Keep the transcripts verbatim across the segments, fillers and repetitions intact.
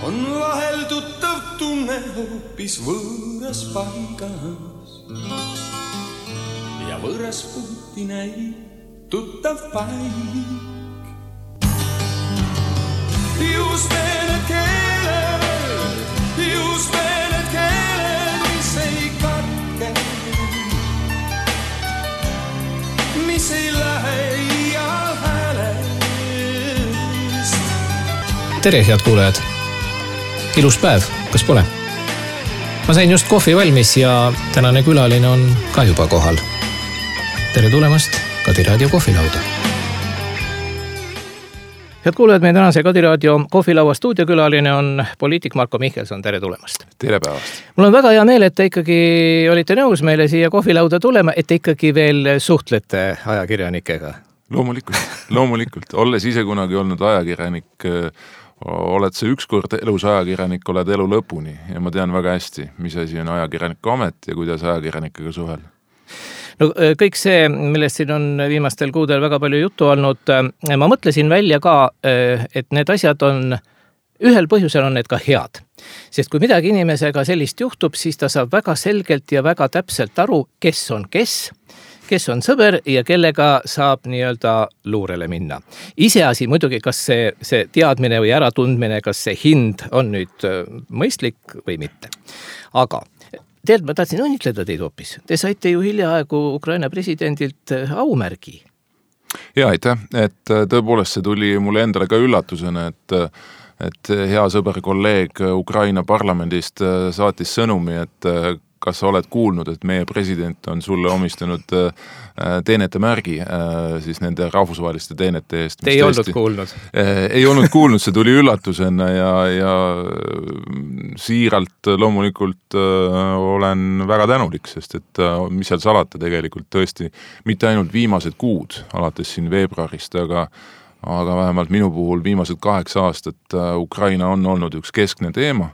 on vahel tuttav tunne hoopis võõras paigas ja võõras puuti näib tuttav paik. Just need keeled, just need keeled, mis ei katke, mis ei lähe iial häälest. Tere, head kuulajad! Ilus päev, kas pole? Ma sain just kohvi valmis ja tänane külaline on ka juba kohal. Tere tulemast Kadi Raadio kohvilauda! Head kuulajad, meie tänase Kadi Raadio kohvilaua stuudiokülaline on poliitik Marko Mihkelson. Tere tulemast! Tere päevast! Mul on väga hea meel, et te ikkagi olite nõus meile siia kohvilauda tulema, et te ikkagi veel suhtlete ajakirjanikega. Loomulikult, loomulikult. Olles ise kunagi olnud ajakirjanik, oled sa ükskord elus ajakirjanik, oled elu lõpuni ja ma tean väga hästi, mis asi on ajakirjaniku amet ja kuidas ajakirjanikega suhelda. No kõik see, millest siin on viimastel kuudel väga palju juttu olnud, ma mõtlesin välja ka, et need asjad on, ühel põhjusel on need ka head. Sest kui midagi inimesega sellist juhtub, siis ta saab väga selgelt ja väga täpselt aru, kes on kes, kes on sõber ja kellega saab nii-öelda luurele minna. Iseasi muidugi, kas see, see teadmine või äratundmine, kas see hind on nüüd mõistlik või mitte. Aga Tead, ma tahtsin õnnitleda teid hoopis. Te saite ju hiljaaegu Ukraina presidendilt aumärgi. Ja, aitäh, et tõepoolest see tuli mulle endale ka üllatusena, et, et hea sõber kolleeg Ukraina parlamendist saatis sõnumi, et kas sa oled kuulnud, et meie president on sulle omistanud teenete märgi siis nende rahvusvaheliste teenete eest. Te ei olnud kuulnud? Ei olnud kuulnud, see tuli üllatusena ja, ja siiralt loomulikult olen väga tänulik, sest et mis seal salata tegelikult tõesti mitte ainult viimased kuud, alates siin veebruarist, aga aga vähemalt minu puhul viimased kaheksa aastat Ukraina on olnud üks keskne teema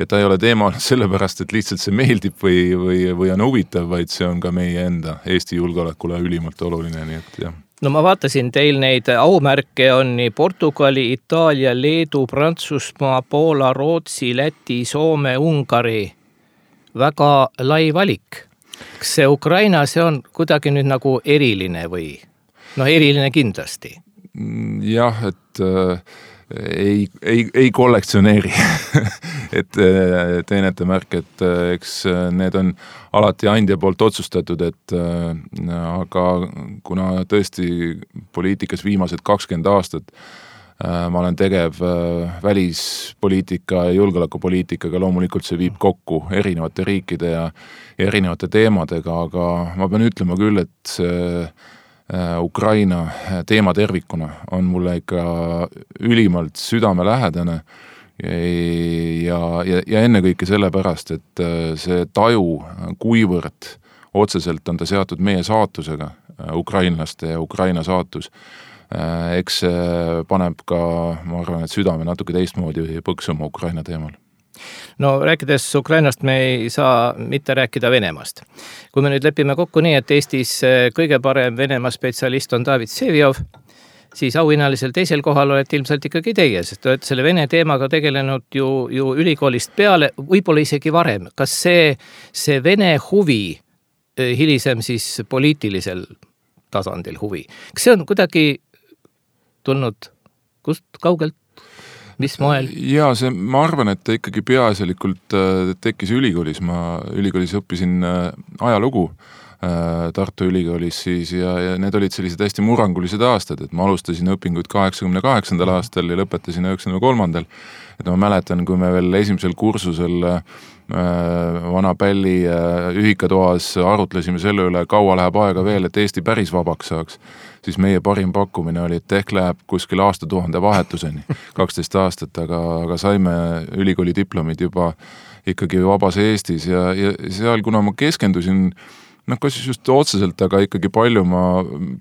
ja ta ei ole teema sellepärast, et lihtsalt see meeldib või, või, või on huvitav, vaid see on ka meie enda Eesti julgeolekule ülimalt oluline, nii et jah. No ma vaatasin teil neid aumärke on nii Portugali, Itaalia, Leedu, Prantsusmaa, Poola, Rootsi, Läti, Soome, Ungari. Väga lai valik. Kas see Ukraina, see on kuidagi nüüd nagu eriline või? No eriline kindlasti. Jah, et äh, ei, ei, ei kollektsioneeri et äh, teenete märk, et äh, eks need on alati andja poolt otsustatud, et äh, aga kuna tõesti poliitikas viimased kakskümmend aastat äh, ma olen tegev äh, välispoliitika ja julgeolekupoliitikaga, loomulikult see viib kokku erinevate riikide ja, ja erinevate teemadega, aga ma pean ütlema küll, et see Ukraina teema tervikuna on mulle ikka ülimalt südamelähedane ja, ja, ja ennekõike sellepärast, et see taju, kuivõrd otseselt on ta seatud meie saatusega, ukrainlaste ja Ukraina saatus, eks paneb ka, ma arvan, et südame natuke teistmoodi põksuma Ukraina teemal. No rääkides Ukrainast me ei saa mitte rääkida Venemaast. Kui me nüüd lepime kokku nii, et Eestis kõige parem Venemaa spetsialist on David Vseviov, siis auhinnalisel teisel kohal olete ilmselt ikkagi teie, sest olete selle Vene teemaga tegelenud ju, ju ülikoolist peale, võib-olla isegi varem. Kas see, see Vene huvi, hilisem siis poliitilisel tasandil huvi, kas see on kuidagi tulnud kust kaugelt? Mis moel? Ja see, ma arvan, et ta ikkagi peaasjalikult tekkis ülikoolis. Ma ülikoolis õppisin ajalugu Tartu ülikoolis siis ja, ja need olid sellised hästi murangulised aastad, et ma alustasin õpinguid kaheksakümne kaheksandal aastal ja lõpetasin üheksakümne kolmandal. Et ma mäletan, kui me veel esimesel kursusel vana pälli ühikatoas arutlesime selle üle, kaua läheb aega veel, et Eesti päris vabaks saaks, siis meie parim pakkumine oli, et ehk läheb kuskil aastatuhande vahetuseni, kaksteist aastat, aga, aga saime ülikooli diplomid juba ikkagi vabas Eestis ja, ja seal, kuna ma keskendusin, noh, kas just otseselt, aga ikkagi palju ma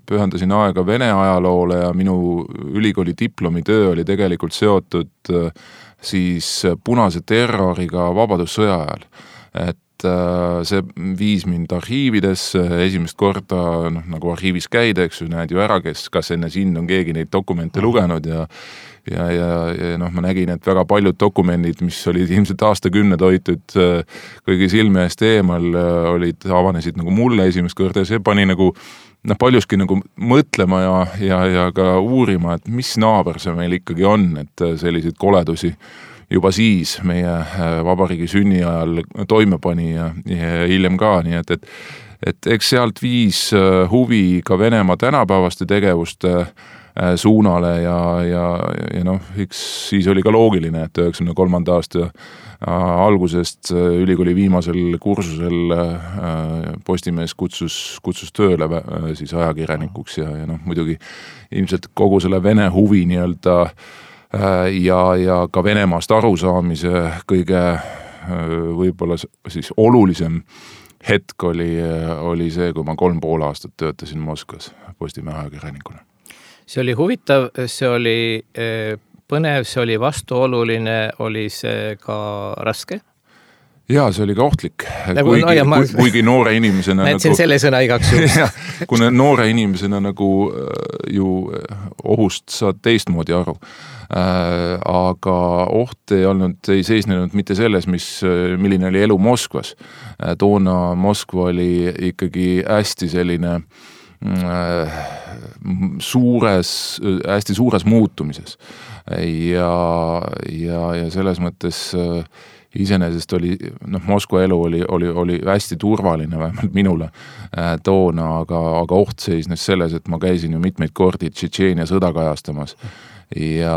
pühendasin aega Vene ajaloole ja minu ülikooli diplomitöö oli tegelikult seotud siis punase terroriga vabadussõja ajal. Et see viis mind arhiividesse esimest korda, noh, nagu arhiivis käida, eks ju, näed ju ära, kes, kas enne sind on keegi neid dokumente lugenud ja ja, ja, ja noh, ma nägin, et väga paljud dokumendid, mis olid ilmselt aastakümned hoitud kõigi silme eest eemal, olid, avanesid nagu mulle esimest korda ja see pani nagu noh, paljuski nagu mõtlema ja, ja, ja ka uurima, et mis naaber see meil ikkagi on, et selliseid koledusi juba siis meie vabariigi sünni ajal toime pani ja, ja hiljem ka, nii et, et, et eks sealt viis huvi ka Venemaa tänapäevaste tegevuste suunale ja, ja, ja noh, eks siis oli ka loogiline, et üheksakümne kolmanda aasta algusest ülikooli viimasel kursusel Postimees kutsus, kutsus tööle siis ajakirjanikuks ja, ja noh, muidugi ilmselt kogu selle Vene huvi nii-öelda ja, ja ka Venemaast arusaamise kõige võib-olla siis olulisem hetk oli, oli see, kui ma kolm pool aastat töötasin Moskvas Postimehe ajakirjanikuna. See oli huvitav, see oli põnev, see oli vastuoluline, oli see ka raske? Jaa, see oli ka ohtlik, kuigi, no, ma... kuigi noore inimesena näitsin nagu... selle sõna igaks juhus. Kuna noore inimesena nagu ju ohust saad teistmoodi aru. Äh, aga oht ei olnud, ei seisnenud mitte selles, mis, milline oli elu Moskvas. Äh, toona Moskva oli ikkagi hästi selline suures, hästi suures muutumises ja, ja, ja selles mõttes iseenesest oli, noh, Moskva elu oli, oli, oli hästi turvaline, vähemalt minule toona, aga, aga oht seisnes selles, et ma käisin ju mitmeid kordi Tšetšeenia sõda kajastamas ja,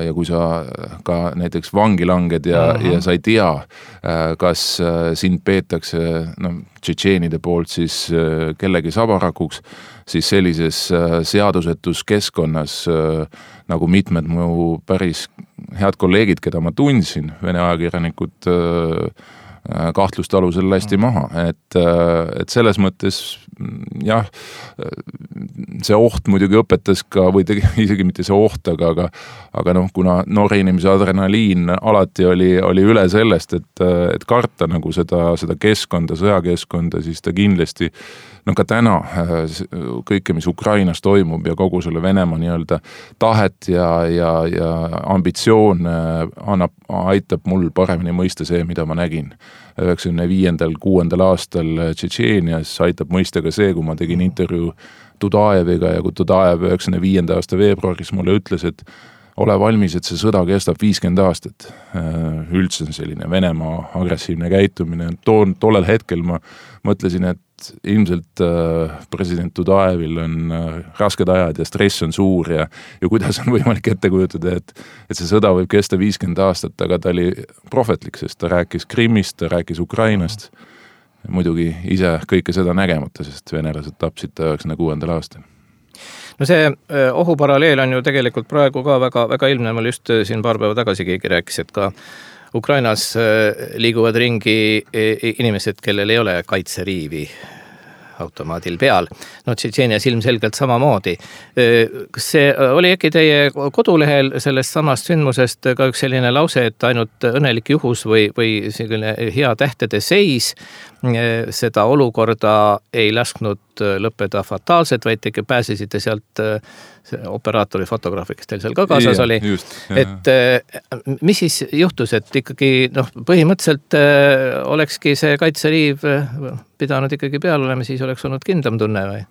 ja kui sa ka näiteks vangi langed ja, uh-huh. ja sa ei tea, kas sind peetakse no, tšetšeenide poolt siis kellegi sabarakuks, siis sellises seadusetus keskkonnas nagu mitmed mu päris head kolleegid, keda ma tundsin, Vene ajakirjanikud kahtluste alusel lasti maha, et, et selles mõttes jah, see oht muidugi õpetas ka, või tegi, isegi mitte see oht, aga, aga, aga noh, kuna noore inimese adrenaliin alati oli, oli üle sellest, et, et karta nagu seda, seda keskkonda, sõjakeskkonda, siis ta kindlasti no ka täna kõike, mis Ukrainas toimub ja kogu selle Venemaa nii-öelda tahet ja, ja, ja ambitsioon annab, aitab mul paremini mõista see, mida ma nägin üheksakümne viiendal kuuendal aastal Tšetšeenias, aitab mõista ka see, kui ma tegin intervjuu Tudajeviga ja kui Tudajev üheksakümne viienda aasta veebruaris mulle ütles, et ole valmis, et see sõda kestab viiskümmend aastat. Üldse selline Venemaa agressiivne käitumine. Toon, tollel hetkel ma mõtlesin, et ilmselt president Tudajevil on rasked ajad ja stress on suur ja, ja kuidas on võimalik ette kujutada, et, et see sõda võib kesta viiskümmend aastat, aga ta oli prohvetlik, sest ta rääkis Krimmist, ta rääkis Ukrainast. Muidugi ise kõike seda nägemata, sest venelased tapsid ta üheksakümne kuuendal aastal. No see ohuparalleel on ju tegelikult praegu ka väga, väga ilmne, ma just siin paar päeva tagasi keegi rääkis, et ka Ukrainas liiguvad ringi inimesed, kellel ei ole kaitseriivi automaadil peal. No Tšetšeenias ilmselgelt samamoodi. Kas see oli äkki teie kodulehel sellest samast sündmusest ka üks selline lause, et ainult õnnelik juhus või, või selline hea tähtede seis seda olukorda ei lasknud lõppeda fataalselt, vaid tegi pääsesite sealt operaatori fotograafi, kes teil seal ka kaasas ja, oli. Just, et mis siis juhtus, et ikkagi noh, põhimõtteliselt olekski see kaitseriiv pidanud ikkagi peal olema, siis oleks olnud kindlam tunne või?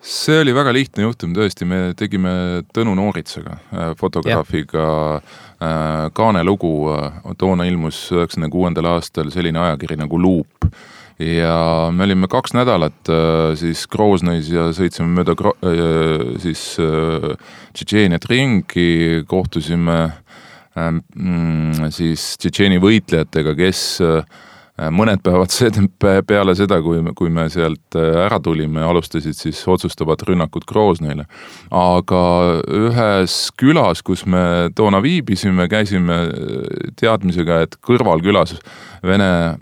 See oli väga lihtne juhtum tõesti, me tegime Tõnu Nooritsaga, fotograafiga ja. Kaane lugu, toona ilmus üheksakümne kuuendal aastal selline ajakiri nagu Luup ja me olime kaks nädalat siis Groznõis ja sõitsime mööda siis Tšetšeeniat ringi, kohtusime siis Tšetšeeni võitlejatega, kes mõned päevad peale seda, kui, kui me sealt ära tulime, alustasid siis otsustavat rünnakut Groznõile. Aga ühes külas, kus me toona viibisime, käisime teadmisega, et kõrval külas Vene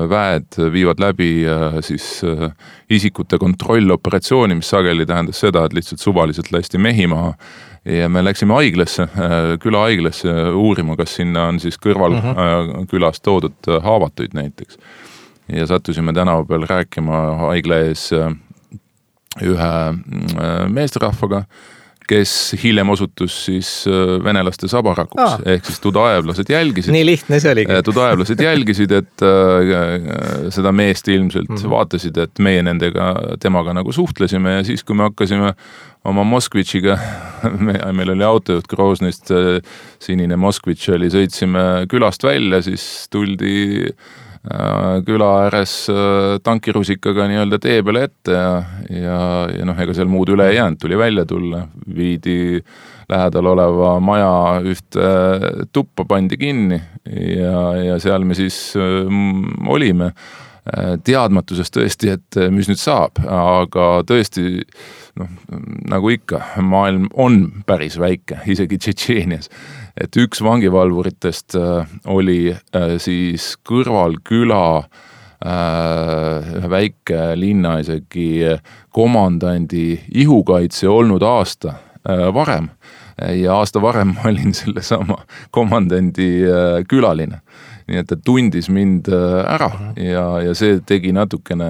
väed viivad läbi siis isikute kontrolloperatsiooni, mis sageli tähendas seda, et lihtsalt suvaliselt lasti mehi maha. Ja me läksime haiglasse, küla haiglasse uurima, kas sinna on siis kõrval uh-huh. külas toodud haavatuid näiteks. ja sattusime tänava peal rääkima haigla ees ühe meesterahvaga, kes hiljem osutus siis venelaste sabarakuks, ah. ehk siis tudaevlased jälgisid. Nii lihtne see oligi. Tudaevlased jälgisid, et äh, seda meest ilmselt mm-hmm. vaatasid, et meie nendega, temaga nagu suhtlesime ja siis, kui me hakkasime oma Moskvitšiga, me, meil oli autojuht Groznist, sinine Moskvitš oli, sõitsime külast välja, siis tuldi küla ääres tankirusikaga nii-öelda tee peale ette ja, ja, ja noh, ega seal muud üle ei jäänud, tuli välja tulla, viidi lähedal oleva maja ühte tuppa pandi kinni ja, ja seal me siis mm, olime teadmatuses tõesti, et mis nüüd saab, aga tõesti noh, nagu ikka, maailm on päris väike, isegi Tšetšeenias. Et üks vangivalvuritest oli siis kõrval küla ühe väike linna isegi komandandi ihukaitse olnud aasta varem ja aasta varem olin selle sama komandandi külaline. Nii et ta tundis mind ära ja, ja see tegi natukene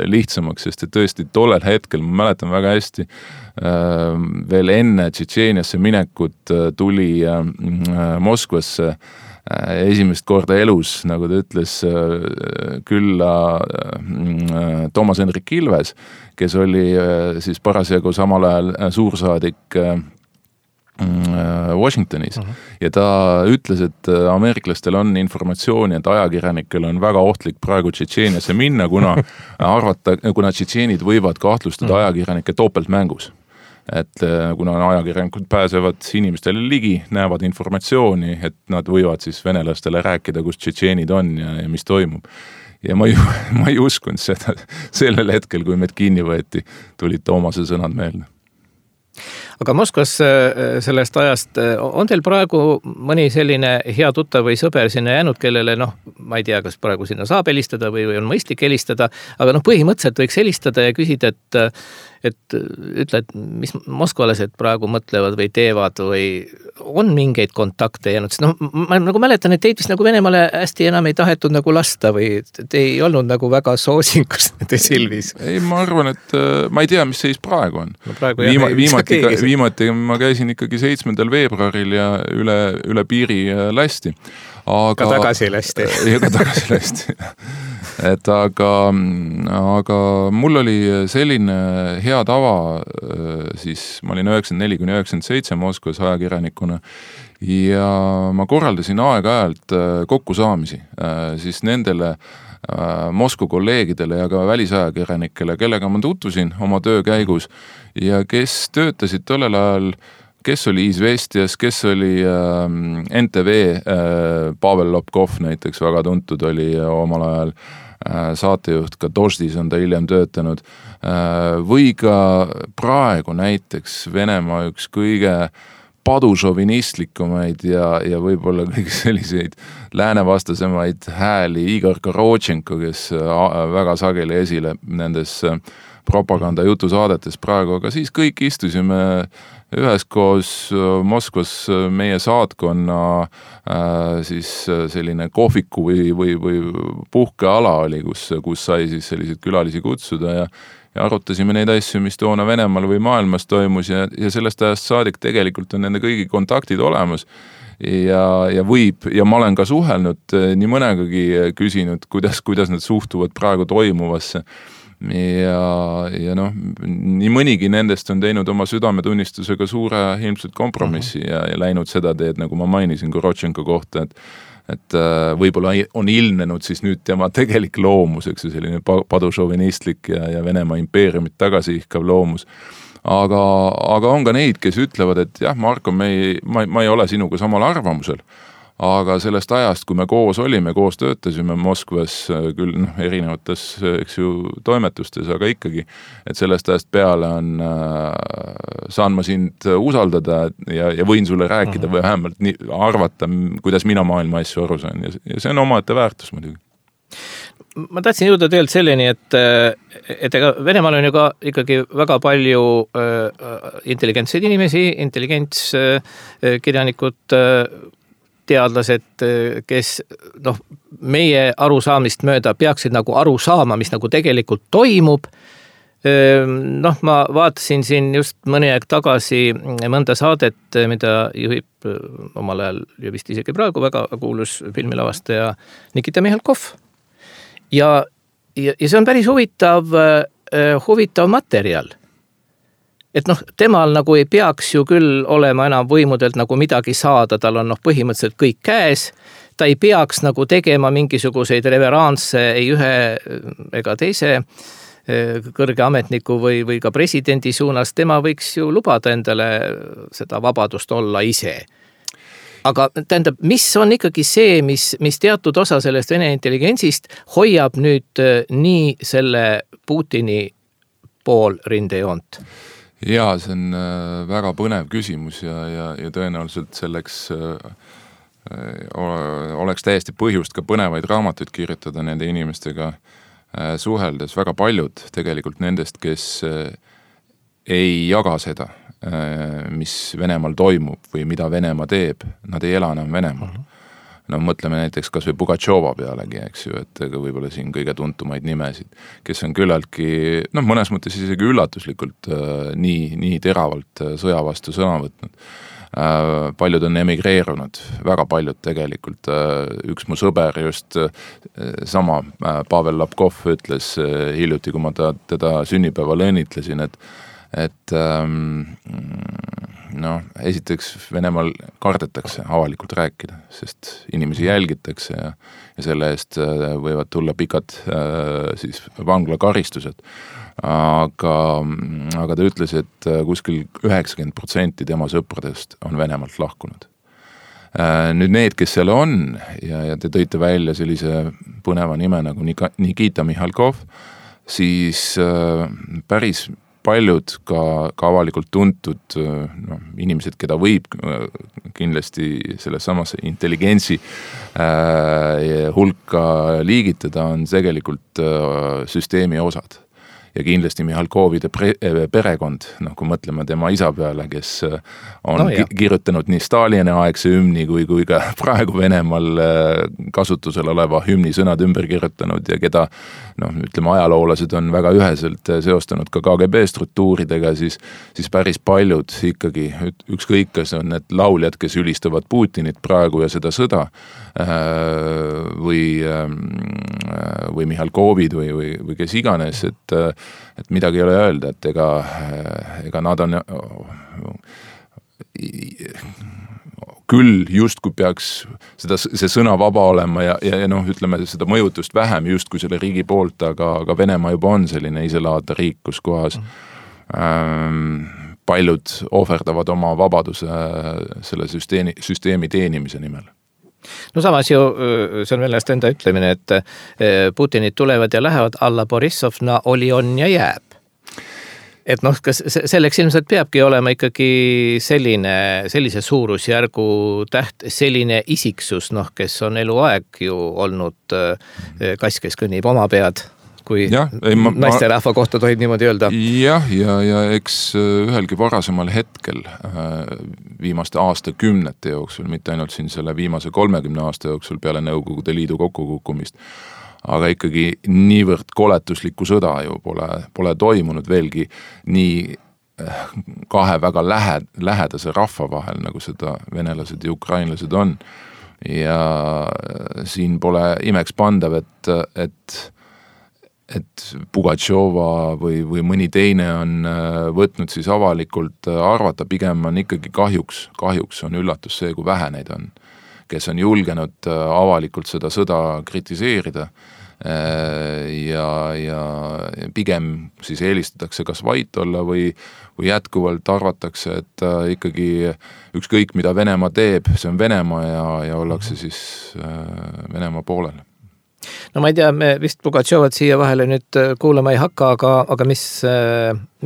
lihtsamaks, sest et tõesti tollel hetkel, ma mäletan väga hästi, veel enne Tšetšeeniasse minekut tuli Moskvasse esimest korda elus, nagu ta ütles, külla Toomas Hendrik Ilves, kes oli siis parasjagu samal ajal suursaadik Washingtonis uh-huh. ja ta ütles, et ameeriklastel on informatsiooni, et ajakirjanikel on väga ohtlik praegu Tšetšeeniasse minna, kuna arvata, kuna tšetšeenid võivad kahtlustada uh-huh. ajakirjanike topeltmängus. Et kuna ajakirjanikud pääsevad inimestele ligi, näevad informatsiooni, et nad võivad siis venelastele rääkida, kus tšetšeenid on ja, ja mis toimub. Ja ma ei, ma ei uskunud seda sellel hetkel, kui meid kinni võeti, tulid Toomase sõnad meelde. Aga Moskvas sellest ajast on teil praegu mõni selline hea tuttav või sõber sinna jäänud, kellele noh, ma ei tea, kas praegu sinna saab helistada või, või on mõistlik helistada, aga noh, põhimõtteliselt võiks helistada ja küsida, et, et ütle, et mis moskvalased praegu mõtlevad või teevad või on mingeid kontakte jäänud, sest noh, ma nagu mäletan, et teid vist nagu Venemaale hästi enam ei tahetud nagu lasta või te ei olnud nagu väga soosingus nende silmis. Ei, ma arvan, et ma ei tea, mis seis praegu on. No praegu Viima, jah, viimati, ka, viimati ma käisin ikkagi seitsmendal veebruaril ja üle, üle piiri lasti. Aga, ka tagasi lasti. Ja ka tagasi lasti. Et aga, aga mul oli selline hea tava, siis ma olin üheksakümmend neli kuni üheksakümmend seitse Moskvas ajakirjanikuna ja ma korraldasin aeg-ajalt kokkusaamisi siis nendele Moskva kolleegidele ja ka välisajakirjanikele, kellega ma tutvusin oma töö käigus ja kes töötasid tollel ajal, kes oli Izvestias, kes oli N T V, Pavel Lobkov näiteks väga tuntud oli omal ajal saatejuht, ka Doždis on ta hiljem töötanud, või ka praegu näiteks Venemaa üks kõige padušovinistlikumaid ja, ja võib-olla kõige selliseid läänevastasemaid hääli Igor Korotšenko, kes väga sageli esile nendes propaganda jutusaadetes praegu, aga siis kõik istusime üheskoos Moskvas meie saatkonna siis selline kohviku või, või, või puhkeala oli, kus, kus sai siis selliseid külalisi kutsuda ja, ja arutasime neid asju, mis toona Venemaal või maailmas toimus ja, ja sellest ajast saadik tegelikult on nende kõigi kontaktid olemas ja, ja võib, ja ma olen ka suhelnud nii mõnegagi küsinud, kuidas, kuidas nad suhtuvad praegu toimuvasse. Ja, ja noh, nii mõnigi nendest on teinud oma südametunnistusega suure ilmselt kompromissi ja, ja läinud seda teed, nagu ma mainisin Korotšenko kohta, et, et võib-olla on ilmnenud siis nüüd tema tegelik loomus, eks selline padušovinistlik ja, ja Venemaa impeeriumit tagasihkav loomus. Aga, aga on ka neid, kes ütlevad, et jah, Marko, me ei, ma, ma ei ole sinuga samal arvamusel. Aga sellest ajast, kui me koos olime, koos töötasime Moskvas küll noh, erinevates eks ju, toimetustes, aga ikkagi, et sellest ajast peale on, äh, saan ma sind usaldada ja, ja võin sulle rääkida või vähemalt nii, arvata, kuidas mina maailma asju aru saan ja, ja see on omaette väärtus muidugi. Ma tahtsin jõuda tegelikult selleni, et, et ega Venemaal on ju ka ikkagi väga palju äh, intelligentseid inimesi, intelligents äh, kirjanikud äh, teadlased, kes noh, meie arusaamist mööda peaksid nagu aru saama, mis nagu tegelikult toimub. Noh, ma vaatasin siin just mõni aeg tagasi mõnda saadet, mida juhib omal ajal ja vist isegi praegu väga kuulus filmilavastaja Nikita Mihhalkov. Ja, ja, ja see on päris huvitav, huvitav materjal. Et noh, temal nagu ei peaks ju küll olema enam võimudelt nagu midagi saada, tal on noh põhimõtteliselt kõik käes, ta ei peaks nagu tegema mingisuguseid reveransse ei ühe ega teise kõrge ametniku või, või ka presidendi suunas, tema võiks ju lubada endale seda vabadust olla ise. Aga tähendab, mis on ikkagi see, mis, mis teatud osa sellest Vene intelligentsist hoiab nüüd nii selle Putini pool rindejoont? Jaa, see on väga põnev küsimus ja, ja, ja tõenäoliselt selleks oleks täiesti põhjust ka põnevaid raamatuid kirjutada nende inimestega suheldes. Väga paljud tegelikult nendest, kes ei jaga seda, mis Venemaal toimub või mida Venemaa teeb, nad ei ela enam Venemaal. No mõtleme näiteks kas või Pugatšova pealegi, eks ju, et võib-olla siin kõige tuntumaid nimesid, kes on küllaltki, noh, mõnes mõttes isegi üllatuslikult nii, nii teravalt sõja vastu sõna võtnud. Paljud on emigreerunud, väga paljud tegelikult. Üks mu sõber just sama Pavel Lapkov ütles hiljuti, kui ma ta, teda sünnipäeval õnnitlesin, et, et noh, esiteks Venemaal kardetakse avalikult rääkida, sest inimesi jälgitakse ja, ja selle eest võivad tulla pikad siis vanglakaristused. Aga, aga ta ütles, et kuskil üheksakümmend protsenti tema sõpradest on Venemaalt lahkunud. Nüüd need, kes seal on, ja, ja te tõite välja sellise põneva nime nagu Nikita Mihhalkov, siis päris paljud ka, ka avalikult tuntud no, inimesed, keda võib kindlasti selles samas intelligentsi äh, hulka liigitada, on tegelikult äh, süsteemi osad. Ja kindlasti Mihhalkovide pre- perekond, noh, kui mõtleme tema isa peale, kes on no, ki- kirjutanud nii Stalini aegse hümni kui, kui ka praegu Venemaal kasutusel oleva hümni sõnad ümber kirjutanud ja keda, noh, ütleme, ajaloolased on väga üheselt seostanud ka K G B struktuuridega, siis, siis päris paljud ikkagi, ükskõik kas on need lauljad, kes ülistavad Putinit praegu ja seda sõda, või, või Mihhalkovid või, või, või kes iganes, et et midagi ei ole öelda, et ega, ega nad on küll just kui peaks seda, see sõna vaba olema ja, ja, ja noh, ütleme seda mõjutust vähem just kui selle riigi poolt, aga, aga Venemaa juba on selline iselaadne riik, kus kohas ähm, paljud ohverdavad oma vabaduse selle süsteemi, süsteemi teenimise nimel. No samas ju, see on veel enda ütlemine, et Putinid tulevad ja lähevad, alla Borissovna oli, on ja jääb. Et noh, kas selleks ilmselt peabki olema ikkagi selline, sellise suurusjärgu täht, selline isiksus, noh, kes on eluaeg ju olnud kass, kes kõnnib oma pead, kui ja, ei, ma, naisterahva kohta tohib niimoodi öelda. Jah, ja, ja eks ühelgi varasemal hetkel viimaste aastakümnete jooksul, mitte ainult siin selle viimase kolmekümne aasta jooksul peale Nõukogude Liidu kokkukukkumist, aga ikkagi niivõrd koletuslikku sõda ju pole, pole toimunud veelgi nii kahe väga lähe, lähedase rahva vahel, nagu seda venelased ja ukrainlased on. Ja siin pole imeks pandav, et, et et Pugatšova või, või mõni teine on võtnud siis avalikult arvata, pigem on ikkagi kahjuks, kahjuks on üllatus see, kui vähe neid on, kes on julgenud avalikult seda sõda kritiseerida ja, ja pigem siis eelistatakse kas vait olla või, või jätkuvalt arvatakse, et ikkagi ükskõik mida Venemaa teeb, see on Venemaa ja, ja ollakse siis Venemaa poolel. No ma ei tea, me vist Pugatšovat siia vahele nüüd kuulama ei hakka, aga, aga mis,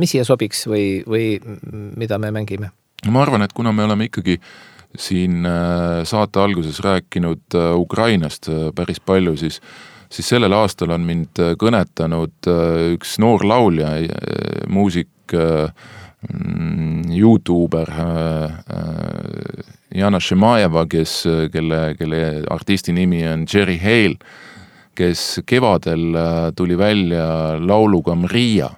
mis siia sobiks või, või mida me mängime? Ma arvan, et kuna me oleme ikkagi siin saate alguses rääkinud Ukrainast päris palju, siis, siis sellel aastal on mind kõnetanud üks noor laulja, muusik, YouTuber Jana Šemajeva, kes, kelle, kelle artisti nimi on Jerry Hale, kes kevadel tuli välja lauluga Mrija.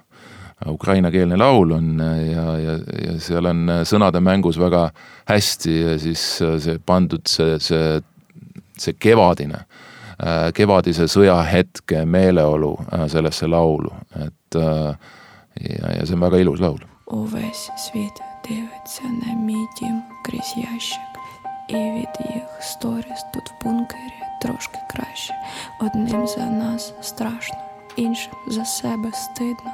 Ukrainakeelne laul on ja, ja, ja seal on sõnade mängus väga hästi ja siis see pandud see, see, see kevadine, kevadise sõjahetke meeleolu sellesse laulu. Et, ja, ja see on väga ilus laul. Увесь світ дивиться на мій дім крізь ящик, і від їх сторіс тут в бункері трошки краще. Одним за нас страшно, іншим за себе стидно.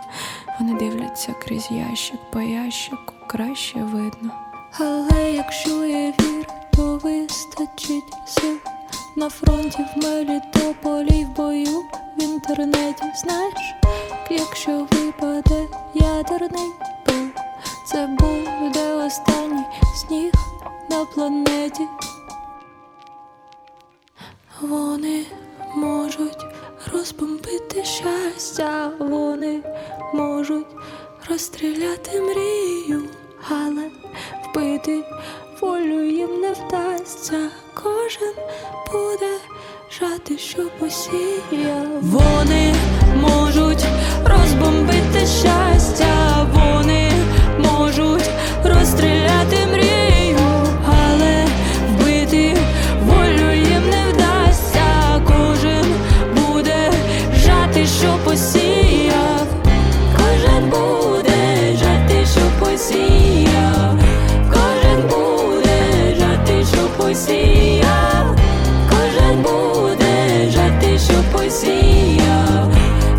Вони дивляться крізь ящик, по ящику краще видно. Але якщо є вір, то вистачить сил. На фронті в Мелітополі в бою в інтернеті. Знаєш, якщо випаде ядерний пил, це буде останній сніг на планеті. Вони можуть розбомбити щастя, вони можуть розстріляти мрію, але вбити волю їм не вдасться. Кожен буде жати, що посіяв. Вони можуть розбомбити щастя, вони можуть розстріляти мрію, але вбити волю їм не вдасться. Кожен буде жати, що посіяв. Кожен буде жати, що посіяв. Кожен буде жати, що посіяв. Кожен буде жати, що посіяв.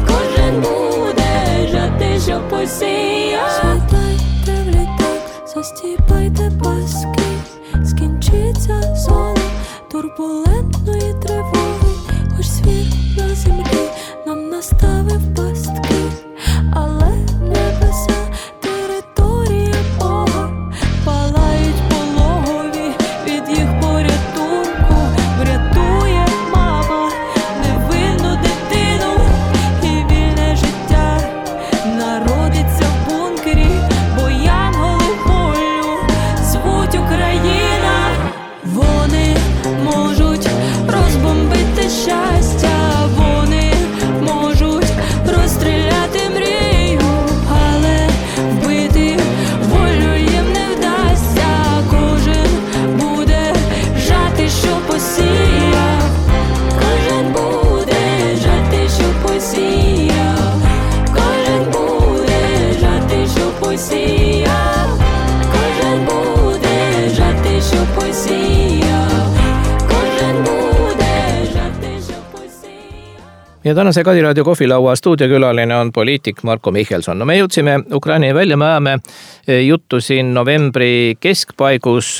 Кожен буде жати, що посіяв. Сідайте в літак, застіпайте паски, скінчиться зона турбулентної тривоги. Хоч світ на землі нам наставив пастки, але небеса території Бога палають пологові від їх порятунку. Врятує мама невинну дитину, і вільне життя народиться в бункері, бо янголи волю звуть Україна. Вони можуть розбомбити щастя, вони можуть розстріляти мрію, але вбити волю їм не вдасться. Кожен буде жати, що посіяв. Кожен буде жати, що посіяв. Кожен буде жати, що посіяв. Кожен буде жати, що посіяв. Кожен буде жати, що посіяв. Ja tänase Kadiraadio kohvilaua stuudiokülaline on poliitik Marko Michelson. No me jõudsime Ukraina välja, me ajame juttu siin novembri keskpaigus.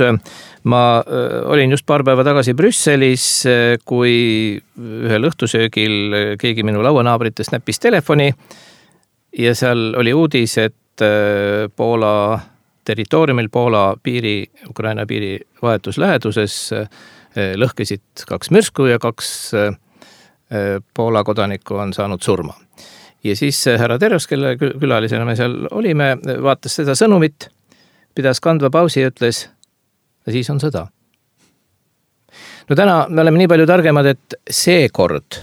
Ma olin just paar päeva tagasi Brüsselis, kui ühel õhtusöögil keegi minu lauanaabritest näppis telefoni ja seal oli uudis, et Poola territooriumil, Poola piiri, Ukraina piiri vahetusläheduses lõhkesid kaks mürsku ja kaks Poola kodanikku on saanud surma. Ja siis härra Teros, kelle külalisena me seal olime, vaatas seda sõnumit, pidas kandva pausi ja ütles, ja siis on sõda. No täna me oleme nii palju targemad, et see kord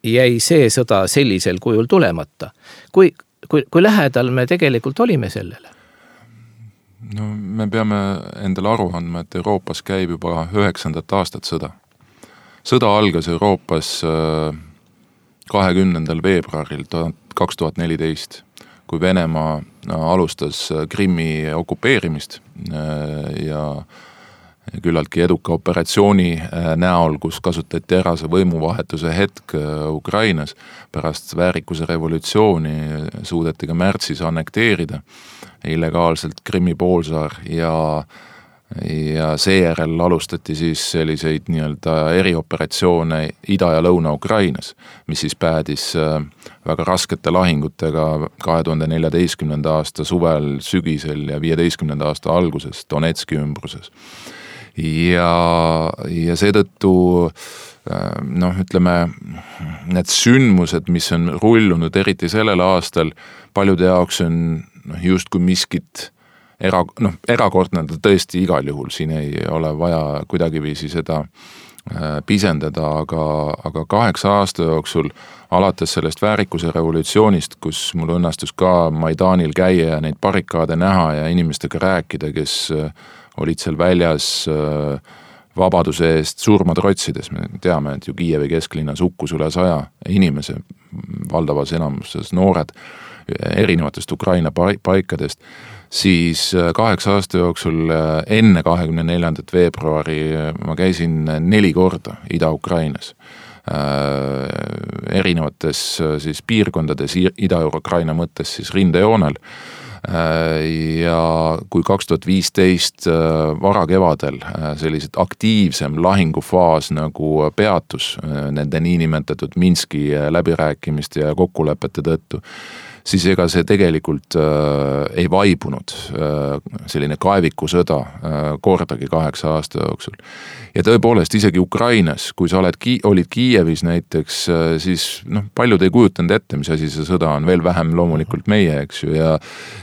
jäi see sõda sellisel kujul tulemata. Kui, kui, kui lähedal me tegelikult olime sellele? No me peame endale aru andma, et Euroopas käib juba üheksandat aastat sõda. Sõda algas Euroopas kahekümnendal veebruaril kaks tuhat neliteist, kui Venemaa alustas Krimmi okupeerimist ja küllaltki eduka operatsiooni näol, kus kasutati ära see võimuvahetuse hetk Ukrainas. Pärast väärikuse revolutsiooni suudeti ka märtsis annekteerida illegaalselt Krimmi poolsaar ja ja seejärel alustati siis selliseid nii-öelda erioperatsioone Ida- ja Lõuna-Ukrainas, mis siis päädis väga raskete lahingutega kahe tuhande neljateistkümnenda aasta suvel, sügisel ja viieteistkümnenda aasta alguses Donetski ümbruses. Ja, ja seetõttu noh, ütleme, need sündmused, mis on rullunud eriti sellel aastal, paljude jaoks on noh, just kui miskit era, noh, erakordne ta tõesti igal juhul, siin ei ole vaja kuidagiviisi seda pisendada, aga, aga kaheksa aasta jooksul alates sellest väärikuse revolutsioonist, kus mul õnnestus ka Maidanil käia ja neid barrikaade näha ja inimestega rääkida, kes olid seal väljas vabaduse eest surma trotsides. Me teame, et ju Kiievi kesklinnas hukkus üle saja inimese, valdavas enamuses noored erinevatest Ukraina paikadest, siis kaheksa aasta jooksul enne kahekümne neljandat veebruari ma käisin neli korda Ida-Ukrainas. Erinevates siis piirkondades Ida-Ukraina mõttes siis rindejoonel. Ja kui kaks tuhat viisteist varakevadel sellised aktiivsem lahingufaas nagu peatus nende niinimetatud Minski läbirääkimiste ja kokkulepete tõttu, siis ega see tegelikult äh, ei vaibunud äh, selline kaevikusõda äh, kordagi kaheksa aasta jooksul. Ja tõepoolest isegi Ukrainas, kui sa oled, olid Kiievis näiteks, äh, siis noh, paljud ei kujutanud ette, mis asi see sõda on, veel vähem loomulikult meie, eks ju, ja,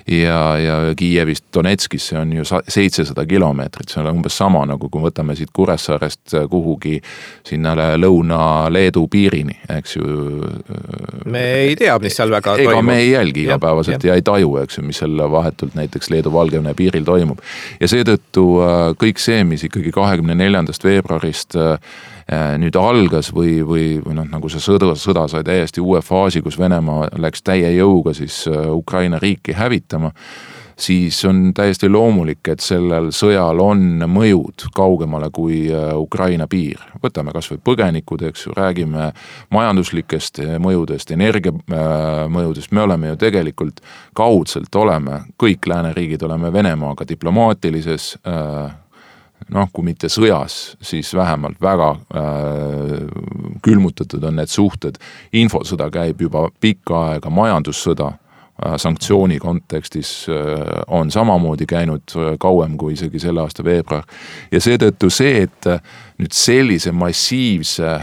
ja, ja Kiievist Donetskisse on ju seitsesada kilomeetrit, see on umbes sama, nagu kui võtame siit Kuressaarest kuhugi sinna Lõuna-Leedu piirini, eks ju. Me ei tea, mis seal väga ega toimub. Me ei jälgi igapäevaselt ja, ja ei taju, eks ju, mis seal vahetult näiteks Leedu-Valgevene piiril toimub. Ja seetõttu kõik see, mis ikkagi kahekümne neljandast veebruarist nüüd algas või, või, või noh, nagu see sõda, sõda sai täiesti uue faasi, kus Venemaa läks täie jõuga siis Ukraina riiki hävitama, siis on täiesti loomulik, et sellel sõjal on mõjud kaugemale kui Ukraina piir. Võtame kas või põgenikud, eks ju, räägime majanduslikest mõjudest, energia mõjudest. Me oleme ju tegelikult kaudselt oleme, kõik lääneriigid oleme Venemaaga diplomaatilises, noh, kui mitte sõjas, siis vähemalt väga külmutatud on need suhted. Infosõda käib juba pikka aega, majandussõda sanktsiooni kontekstis on samamoodi käinud kauem kui isegi selle aasta veebruar. Ja seetõttu see, et nüüd sellise massiivse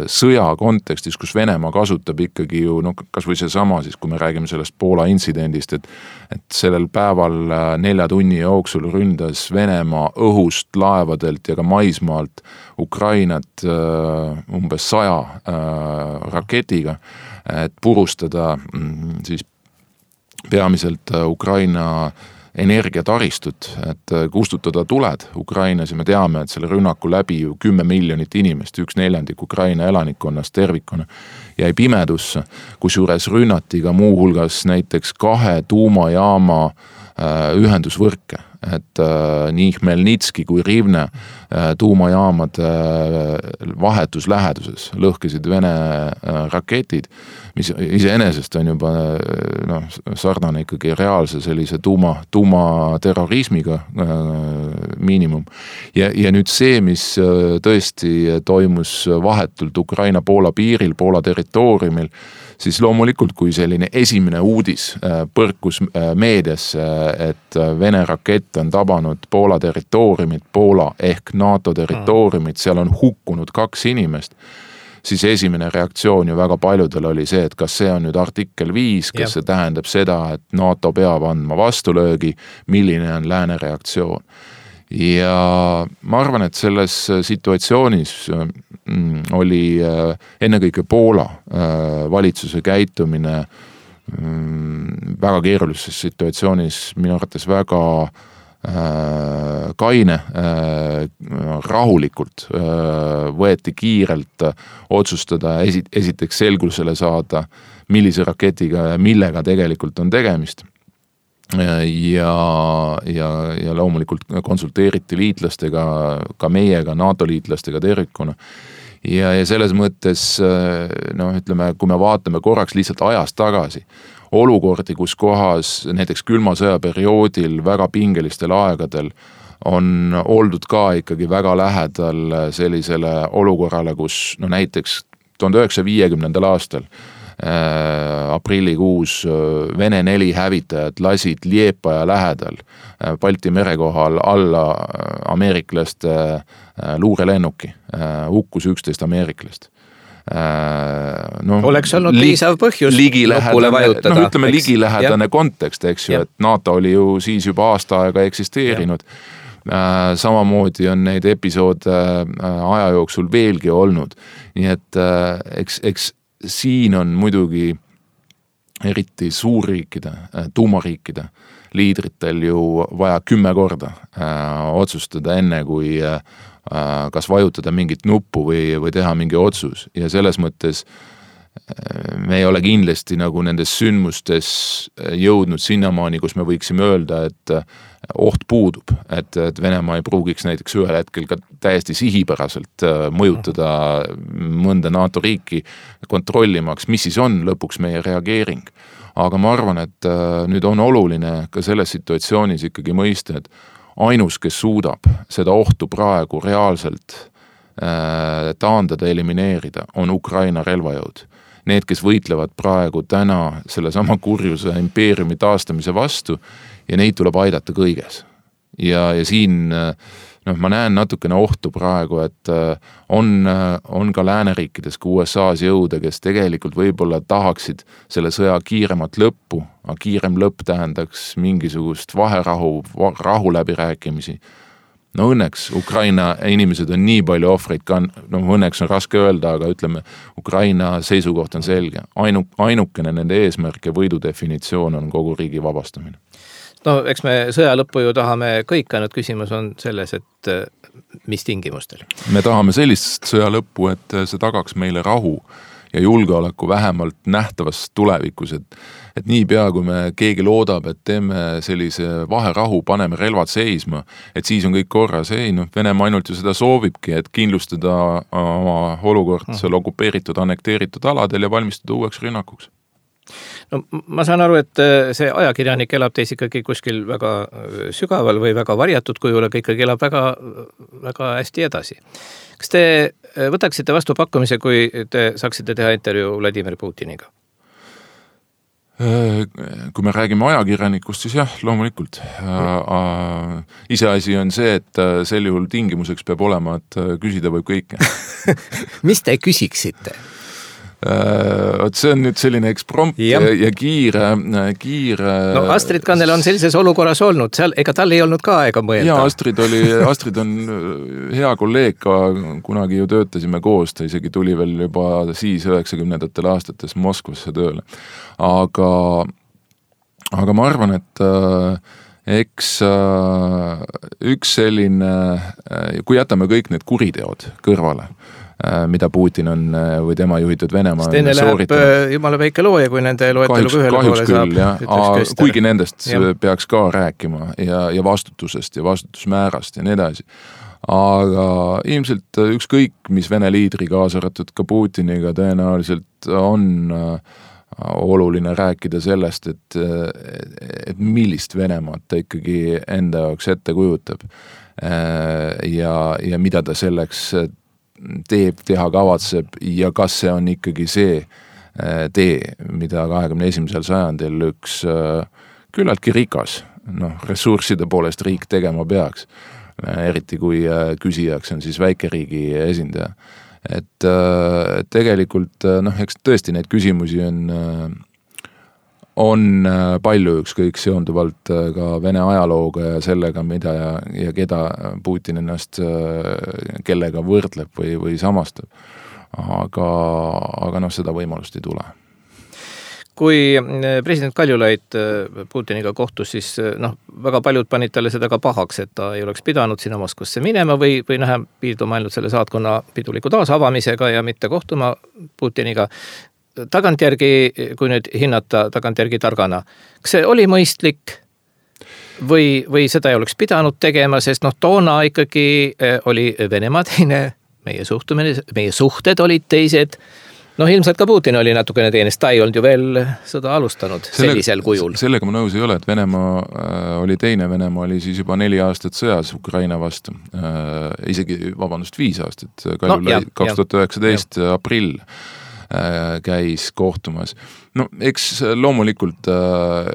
sõja kontekstis, kus Venemaa kasutab ikkagi ju, no kas või see sama siis, kui me räägime sellest Poola intsidendist, et, et sellel päeval nelja tunni jooksul ründas Venemaa õhust, laevadelt ja ka maismaalt Ukrainat umbes saja raketiga, et purustada siis peamiselt Ukraina energiataristut, et kustutada tuled Ukrainas ja me teame, et selle rünnaku läbi ju kümme miljonit inimest, üks neljandik Ukraina elanikkonnast tervikuna jäi pimedusse, kus juures rünnati ka muu hulgas näiteks kahe tuumajaama ühendusvõrke, et äh, nii Hmelnitski kui Rivne äh, tuumajaamad äh, vahetus läheduses lõhkesid Vene äh, raketid, mis iseenesest on juba no, sarnane ikkagi reaalse sellise tuuma, tuumaterrorismiga äh, miinimum. Ja, ja nüüd see, mis äh, tõesti toimus vahetult Ukraina-Poola piiril, Poola territooriumil, siis loomulikult, kui selline esimene uudis põrkus meediasse, et Vene rakett on tabanud Poola territooriumit, Poola ehk NATO territooriumit, seal on hukkunud kaks inimest, siis esimene reaktsioon ju väga paljudel oli see, et kas see on nüüd artikkel viis, kas ja. See tähendab seda, et NATO peab andma vastulöögi, milline on lääne reaktsioon. Ja ma arvan, et selles situatsioonis oli ennekõike Poola valitsuse käitumine väga keerulises situatsioonis minu arvates väga kaine, rahulikult võeti kiirelt otsustada, esiteks selgusele saada, millise raketiga ja millega tegelikult on tegemist. Ja, ja, ja loomulikult konsulteeriti liitlastega, ka meiega, NATO liitlastega tervikuna. Ja, ja selles mõttes, no ütleme, kui me vaatame korraks lihtsalt ajast tagasi, olukordi, kus kohas näiteks külma sõja perioodil väga pingelistel aegadel on oldud ka ikkagi väga lähedal sellisele olukorrale, kus no näiteks tuhande üheksasaja viiekümnendal aastal aprillikuus Vene neli hävitajad lasid Liepaja lähedal Balti mere kohal alla ameeriklaste luurelennuki, hukkus üksteist ameeriklast. no, oleks olnud li- piisav põhjus lõpule vajutada. No ütleme eks, ligilähedane ja. kontekst, eks ju, ja. et NATO oli ju siis juba aasta aega eksisteerinud. Äh, samamoodi on neid episoode äh, aja jooksul veelgi olnud. Nii et äh, eks, eks siin on muidugi eriti suurriikide, äh, tuumariikide liidritel ju vaja kümme korda äh, otsustada enne, kui äh, kas vajutada mingit nuppu või, või teha mingi otsus. Ja selles mõttes me ei ole kindlasti nagu nendes sündmustes jõudnud sinnamaani, kus me võiksime öelda, et oht puudub, et, et Venemaa ei pruugiks näiteks ühel hetkel ka täiesti sihipäraselt mõjutada mõnda NATO riiki kontrollimaks, mis siis on lõpuks meie reageering. Aga ma arvan, et nüüd on oluline ka selles situatsioonis ikkagi mõista, et ainus, kes suudab seda ohtu praegu reaalselt äh, taandada, elimineerida, on Ukraina relvajõud. Need, kes võitlevad praegu täna selle sama kurjuse impeeriumi taastamise vastu ja neid tuleb aidata kõiges. Ja, ja siin noh, ma näen natukene ohtu praegu, et on, on ka lääneriikides, ka U S A-s jõude, kes tegelikult võib-olla tahaksid selle sõja kiiremat lõppu, aga kiirem lõpp tähendaks mingisugust vaherahu, rahu läbirääkimisi. No õnneks Ukraina inimesed on nii palju ohvreid, ka, no õnneks on raske öelda, aga ütleme, Ukraina seisukoht on selge. Ainu, ainukene nende eesmärk ja võidu definitsioon on kogu riigi vabastamine. No eks me sõja lõppu ju tahame kõik, ainult küsimus on selles, et mis tingimustel. Me tahame sellist sõja lõppu, et see tagaks meile rahu ja julgeoleku vähemalt nähtavas tulevikus, et, et nii pea, kui me keegi loodab, et teeme sellise vaherahu, paneme relvad seisma, et siis on kõik korras. Ei, noh, Venemaa ainult ju seda soovibki, et kindlustada oma olukord seal okupeeritud, annekteeritud aladel ja valmistada uueks rünnakuks. No ma saan aru, et see ajakirjanik elab teis ikkagi kuskil väga sügaval või väga varjatud kujul, aga ikkagi elab väga, väga hästi edasi. Kas te võtaksite vastu pakkumise, kui te saaksite teha intervjuu Vladimir Putiniga? Kui me räägime ajakirjanikust, siis jah, loomulikult. Iseasi on see, et sel juhul tingimuseks peab olema, et küsida võib kõike. Mis te küsiksite? Oot, see on nüüd selline eksprompt ja, ja kiire, kiire... No Astrid Kannel on sellises olukorras olnud, seal, ega tal ei olnud ka aega mõelda. Ja Astrid oli, Astrid on hea kolleeg, ka kunagi ju töötasime koos, ta isegi tuli veel juba siis üheksakümnendatel aastates Moskvasse tööle. Aga, aga ma arvan, et eks üks selline, kui jätame kõik need kuriteod kõrvale, mida Putin on või tema juhitud Venemaa on Stenne sooritanud. Läheb jumala väike looja, kui nende loeteluga ühele poole saab. Küll, kuigi nendest ja. Peaks ka rääkima ja, ja vastutusest ja vastutusmäärast ja nii edasi. Aga ilmselt ükskõik, mis Vene liidri kaasaratud ka Putiniga tõenäoliselt on oluline rääkida sellest, et, et millist Venemaad ta ikkagi enda jaoks ette kujutab ja, ja mida ta selleks teeb, teha kavatseb ja kas see on ikkagi see tee, mida kahekümne esimesel sajandil üks küllaltki rikas, noh, ressursside poolest riik tegema peaks, eriti kui küsijaks on siis väikeriigi esindaja. Et tegelikult, noh, eks tõesti neid küsimusi on, on palju ükskõik seonduvalt ka Vene ajalooga ja sellega, mida ja, ja keda Putin ennast kellega võrdleb või, või samastab. Aga, aga noh, seda võimalust ei tule. Kui president Kaljulaid Putiniga kohtus, siis noh, väga paljud panid talle seda ka pahaks, et ta ei oleks pidanud sinna Moskvasse minema või, või näha piirduma ainult selle saatkonna piduliku taasavamisega ja mitte kohtuma Putiniga. Tagantjärgi, kui nüüd hinnata tagantjärgi targana, kas see oli mõistlik või, või seda ei oleks pidanud tegema, sest noh, toona ikkagi oli Venemaa teine, meie suhtumine, meie suhted olid teised, noh, ilmselt ka Putin oli natukene teenest, ta ei olnud ju veel sõda alustanud Selle, sellisel kujul. Sellega ma nõus ei ole, et Venemaa äh, oli teine, Venemaa oli siis juba neli aastat sõjas Ukraina vastu, äh, isegi, vabandust, viis aastat, Kaljulaid no, kaks tuhat üheksateist aprill käis kohtumas. no eks loomulikult äh,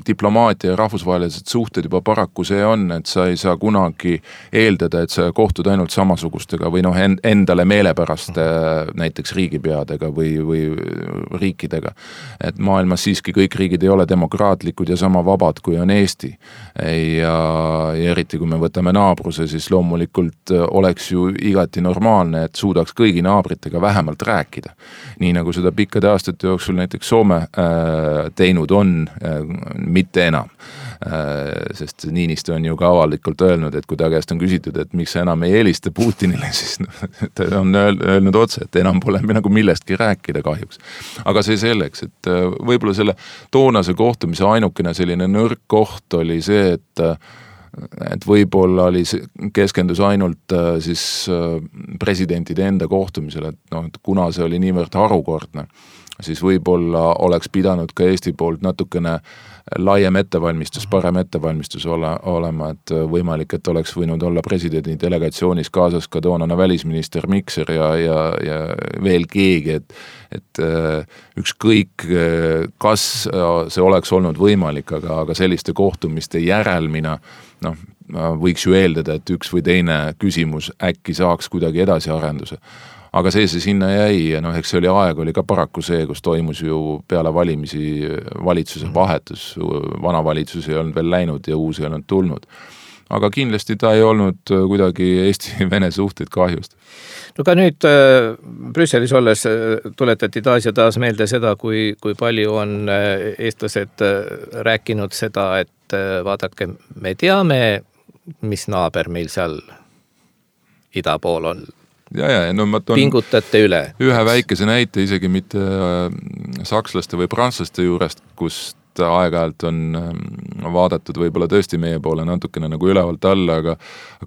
diplomaatia ja rahvusvahelised suhted juba paraku see on, et sa ei saa kunagi eeldada, et sa kohtud ainult samasugustega või noh, endale meelepärast äh, näiteks riigipeadega või, või riikidega. Et maailmas siiski kõik riigid ei ole demokraatlikud ja sama vabad, kui on Eesti. Ja, ja eriti kui me võtame naabruse, siis loomulikult oleks ju igati normaalne, et suudaks kõigi naabritega vähemalt rääkida. Nii nagu seda pikkade aastate jooksul näiteks Soome äh, teinud on, äh, mitte enam. Äh, sest Niinistö on ju ka avalikult öelnud, et kui ta käest on küsitud, et miks sa enam ei helista Putinile, siis no, ta on öelnud otse, et enam pole nagu millestki rääkida kahjuks. Aga see selleks, et äh, võib-olla selle toonase kohtumise ainukene selline nõrk koht oli see, et äh, et võib-olla oli keskendus ainult äh, siis äh, presidentide enda kohtumisele, et noh, et kuna see oli niivõrd harukordne, siis võib-olla oleks pidanud ka Eesti poolt natukene laiem ettevalmistus, parem ettevalmistus ole, olema, et võimalik, et oleks võinud olla presidendi delegatsioonis kaasas ka toonane välisminister Mikser ja, ja, ja veel keegi, et, et ükskõik, kas see oleks olnud võimalik, aga, aga selliste kohtumiste järelmina, noh, võiks ju eeldada, et üks või teine küsimus äkki saaks kuidagi edasi arenduse. Aga see see sinna jäi ja noh, eks see oli aeg, oli ka paraku see, kus toimus ju peale valimisi valitsuse vahetus, vana valitsus ei olnud veel läinud ja uus ei olnud tulnud. Aga kindlasti ta ei olnud kuidagi Eesti-Vene suhteid kahjust. No ka nüüd äh, Brüsselis olles tuletati taas ja taas meelde seda, kui, kui palju on äh, eestlased äh, rääkinud seda, et äh, vaadake, me teame, mis naaber meil seal ida pool on. Ja, ja, no ma toon pingutate üle. Ühe väikese näite isegi mitte sakslaste või prantslaste juurest, kust aeg-ajalt on vaadatud võib-olla tõesti meie poole natukene nagu ülevalt alla, aga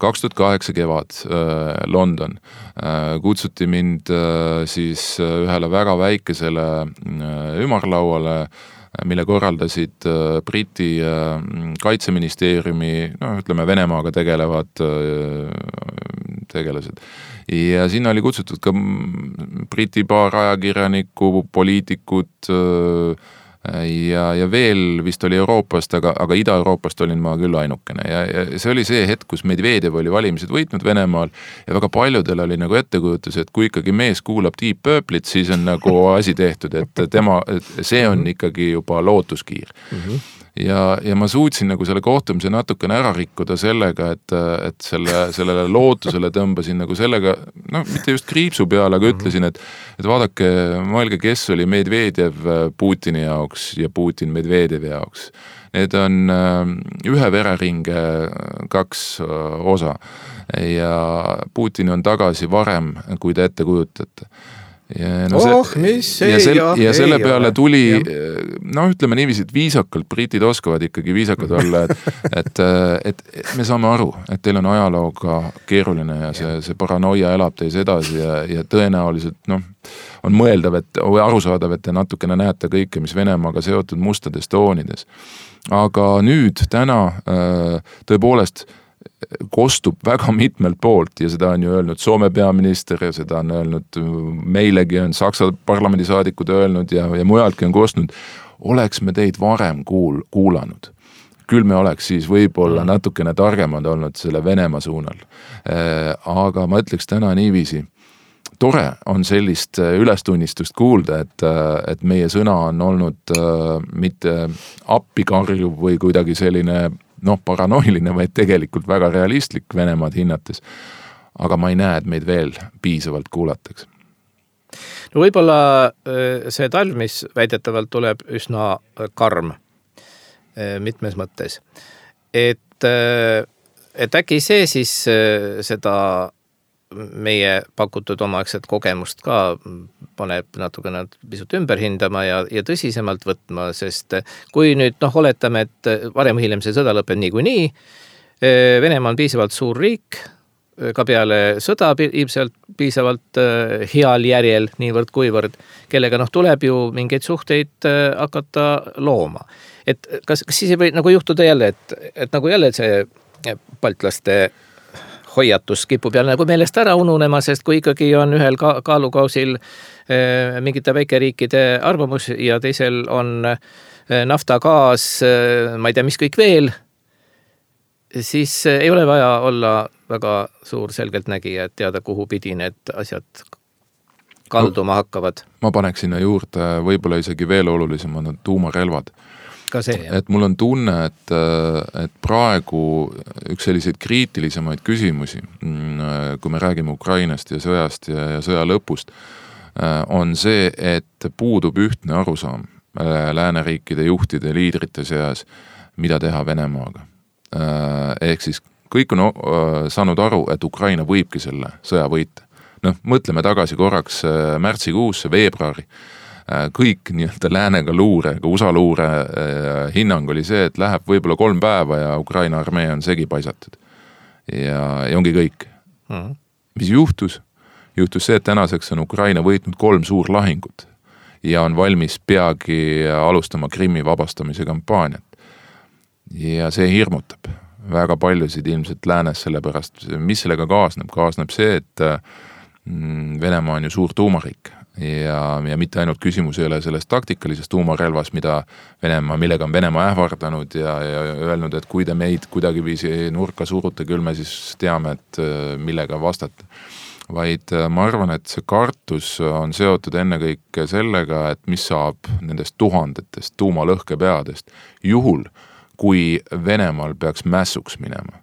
kaks tuhat kaheksa kevad London kutsuti mind siis ühele väga väikesele ümarlauale, mille korraldasid Briti kaitseministeeriumi, no ütleme Venemaaga tegelevad tegelased. Ja sinna oli kutsutud ka Briti paar ajakirjanikku, poliitikud ja, ja veel vist oli Euroopast, aga, aga Ida-Euroopast olin ma küll ainukene. Ja, ja see oli see hetk, kus Medvedev oli valimised võitnud Venemaal ja väga paljudel oli nagu ettekujutus, et kui ikkagi mees kuulab Deep Purple'it, siis on nagu asi tehtud, et tema, see on ikkagi juba lootuskiir. Mm-hmm. Ja, ja ma suutsin nagu selle kohtumise natukene ära rikkuda sellega, et, et selle, sellele lootusele tõmbasin nagu sellega, no mitte just kriipsu peale, aga ütlesin, et, et vaadake, mõelge, kes oli Medvedev Putini jaoks ja Putin Medvedevi jaoks. Need on ühe vereringe kaks osa ja Putin on tagasi varem, kui te ette kujutate. Ja, no see, oh, mis ei, ja, sel, jah, ja selle ei peale ole. tuli, ja. no ütleme niiviisi, et viisakalt, britid oskavad ikkagi viisakad olla, et, et, et, et me saame aru, et teil on ajalooga keeruline ja see, see paranoia elab teis edasi ja, ja tõenäoliselt noh, on mõeldav, et, või arusaadav, et te natukene näete kõike, mis Venemaaga seotud mustades toonides. Aga nüüd, täna tõepoolest kostub väga mitmelt poolt ja seda on ju öelnud Soome peaminister ja seda on öelnud meilegi on Saksa parlamendisaadikud öelnud ja, ja mujaltki on kostnud, oleks me teid varem kuul, kuulanud. Küll me oleks siis võib-olla natukene targemad olnud selle Venemaa suunal. Aga ma ütleks täna niiviisi, tore on sellist ülestunnistust kuulda, et, et meie sõna on olnud mitte appikarjuv või kuidagi selline noh, paranoiline, vaid tegelikult väga realistlik Venemaad hinnates. Aga ma ei näe, et meid veel piisavalt kuulataks. No võib-olla see talv, mis väidetavalt tuleb üsna karm mitmes mõttes. Et, et äkki see siis seda meie pakutud omaaegset kogemust ka paneb natukene pisut ümber hindama ja, ja tõsisemalt võtma, sest kui nüüd noh, oletame, et varem hiljem see sõda lõpeb niikuinii, Venemaa on piisavalt suur riik, ka peale sõda ilmselt piisavalt heal järjel, niivõrd kuivõrd, kellega noh, tuleb ju mingeid suhteid hakata looma. Et kas, kas siis ei või nagu juhtuda jälle, et, et nagu jälle see baltlaste hoiatus kipub jälle nagu meelest ära ununema, sest kui ikkagi on ühel ka kaalukausil äh, mingite väikeriikide arvamus ja teisel on äh, nafta, gaas, äh, ma ei tea, mis kõik veel, siis äh, ei ole vaja olla väga suur selgeltnägija, et teada, kuhu pidi need asjad kalduma hakkavad. Ma paneks sinna juurde võib-olla isegi veel olulisemad on tuumarelvad. Ka see, jah. Et mul on tunne, et, et praegu üks selliseid kriitilisemaid küsimusi, kui me räägime Ukrainast ja sõjast ja, ja sõja lõpust, on see, et puudub ühtne arusaam lääneriikide juhtide, liidrite seas, mida teha Venemaaga. Ehk siis kõik on saanud aru, et Ukraina võibki selle sõja võita. Noh, mõtleme tagasi korraks märtsikuusse, veebruari. Kõik nii-öelda läänega luure, ka U S A luure hinnang oli see, et läheb võib-olla kolm päeva ja Ukraina armee on segi paisatud. Ja, ja ongi kõik. Mm-hmm. Mis juhtus? Juhtus see, et tänaseks on Ukraina võitnud kolm suur lahingut ja on valmis peagi alustama Krimmi vabastamise kampaaniat. Ja see hirmutab väga paljusid ilmselt läänes sellepärast, mis sellega kaasneb. Kaasneb see, et Venemaa on ju suur tuumariik ja, ja mitte ainult küsimus ei ole selles taktikalises tuumarelvas, mida Venemaa, millega on Venemaa ähvardanud ja, ja öelnud, et kui te meid kuidagi viisi nurka surute, küll me siis teame, et millega vastata. Vaid ma arvan, et see kartus on seotud ennekõike sellega, et mis saab nendest tuhandetest tuumalõhkepeadest juhul, kui Venemaal peaks mässuks minema.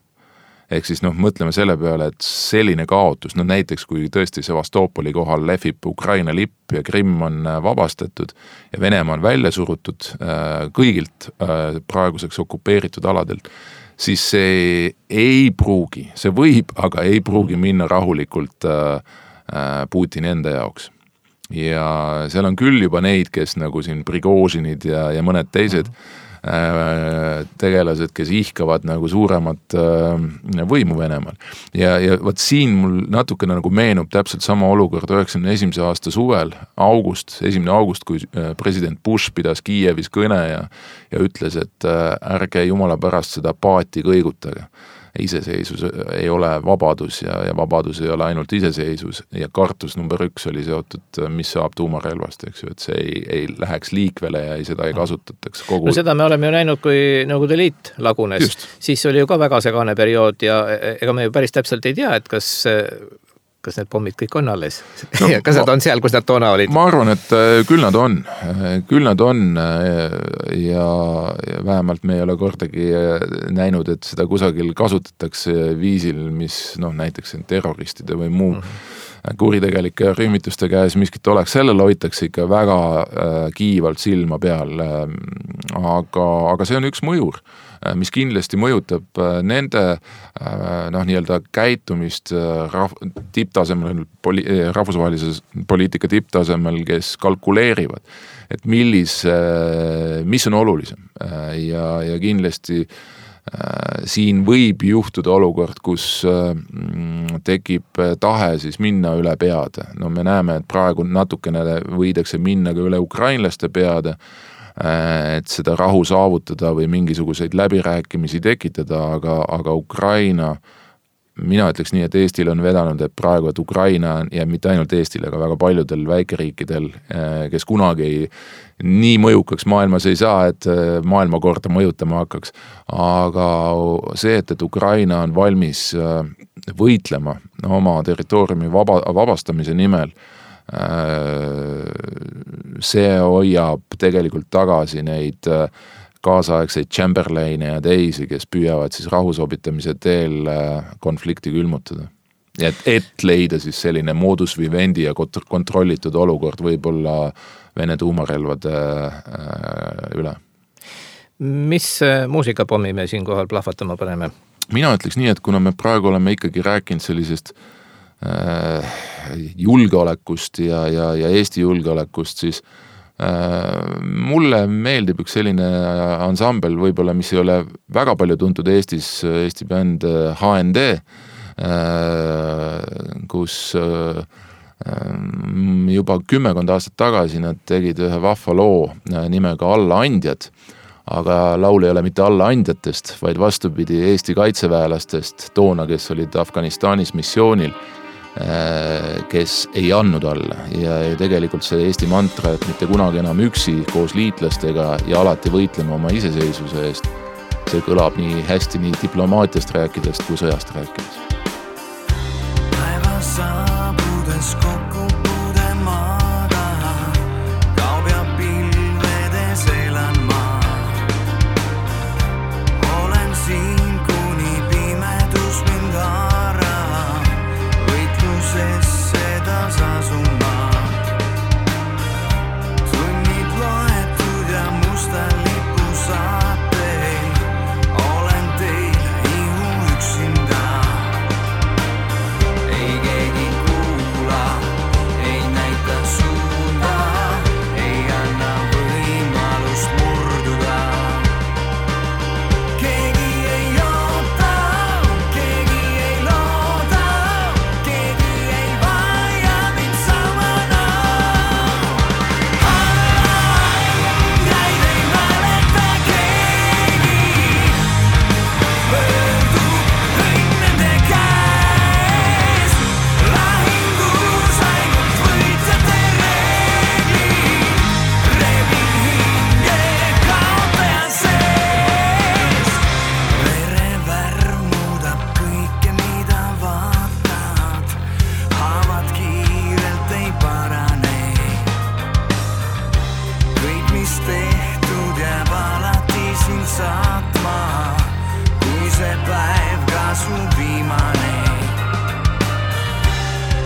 Ehk siis noh, mõtleme selle peale, et selline kaotus, no näiteks kui tõesti Sevastopoli kohal lehvib Ukraina lipp ja Krimm on vabastatud ja Venemaa on välja surutud kõigilt praeguseks okupeeritud aladelt, siis see ei pruugi, see võib, aga ei pruugi minna rahulikult Putini enda jaoks. Ja seal on küll juba neid, kes nagu siin Prigožinid ja, ja mõned teised tegelased, kes ihkavad nagu suuremat võimu Venemaal. Ja, ja võt siin mul natukene nagu meenub täpselt sama olukord üheksakümne esimese aasta suvel, august, esimene august, kui president Bush pidas Kiievis kõne ja, ja ütles, et ärge jumala pärast seda paati kõigutage. Iseseisus ei ole vabadus ja, ja vabadus ei ole ainult iseseisus ja kartus number üks oli seotud, mis saab tuumarelvast, eks ju, et see ei, ei läheks liikvele ja ei, seda ei kasutataks kogu... No seda me oleme ju näinud, kui Nõukogude Liit lagunes, Just. Siis oli ju ka väga segane periood ja ega me ju päris täpselt ei tea, et kas... kas need pommid kõik on alles? No, kas nad on seal, kus nad toona olid? Ma arvan, et küll nad on. Küll nad on ja, ja vähemalt me ei ole kordagi näinud, et seda kusagil kasutatakse viisil, mis noh, näiteks terroristide või muu mm-hmm. kuritegelike rühmituste käes miskit oleks. Sellele hoitakse ikka väga kiivalt silma peal. Aga, aga see on üks mõjur, mis kindlasti mõjutab nende noh, nii-öelda käitumist rahv- tipptasemel, poli- rahvusvahelises poliitika tipptasemel, kes kalkuleerivad, et millis, mis on olulisem ja, ja kindlasti siin võib juhtuda olukord, kus tekib tahe siis minna üle peade. No me näeme, et praegu natukene võidakse minna ka üle ukrainlaste peade, et seda rahu saavutada või mingisuguseid läbirääkimisi tekitada, aga, aga Ukraina, mina ütleks nii, et Eestil on vedanud, et praegu, et Ukraina ja mitte ainult Eestil, aga väga paljudel väikeriikidel, kes kunagi ei, nii mõjukaks maailmas ei saa, et maailma korda mõjutama hakkaks. Aga see, et, et Ukraina on valmis võitlema oma territooriumi vaba, vabastamise nimel, see hoiab tegelikult tagasi neid kaasaegseid Chamberlaine ja teisi, kes püüavad siis rahusobitamise teel konflikti külmutada. Et, et leida siis selline modus vivendi ja kontrollitud olukord võib-olla Vene tuumarelvade üle. Mis muusikapommi me siin kohal plahvatama paneme? Mina ütleks nii, et kuna me praegu oleme ikkagi rääkinud sellisest julgeolekust ja, ja, ja Eesti julgeolekust, siis äh, mulle meeldib üks selline ansambel võib-olla, mis ei ole väga palju tuntud Eestis, Eesti bänd H N D, äh, kus äh, juba kümmekond aastat tagasi nad tegid ühe vahva loo nimega Allaandjad, aga laul ei ole mitte allaandjatest, vaid vastupidi Eesti kaitseväelastest toona, kes olid Afganistanis missioonil, kes ei andnud alla ja tegelikult see Eesti mantra, et mitte kunagi enam üksi koos liitlastega ja alati võitlema oma iseseisvuse eest, see kõlab nii hästi nii diplomaatiast rääkides kui sõjast rääkides. Päeva saabudes kokku puude maaga, kaob ja pilvedes elan maa. Olen siin kuni pimedus mind haarab, võitluses sedas asun maa. Tunnid loetud ja musta lipu saatel, olen teile ihu üksinda. Ei keegi kuula, ei näita suunda, ei anna võimalust murduda. Keegi ei oota, keegi ei looda, keegi ei vaja mind samana. Jäid ei mäleta keegi, pöördu õnn nende käes. Lahingus ainult võitjate reeglid, rebin hinge kaotaja sees. Verevärv muudab kõike, mida vaatad, haavad kiirelt ei parane. Kõik, mis tehtud, jääb alati sind saatma, kui see päev ka su viimane.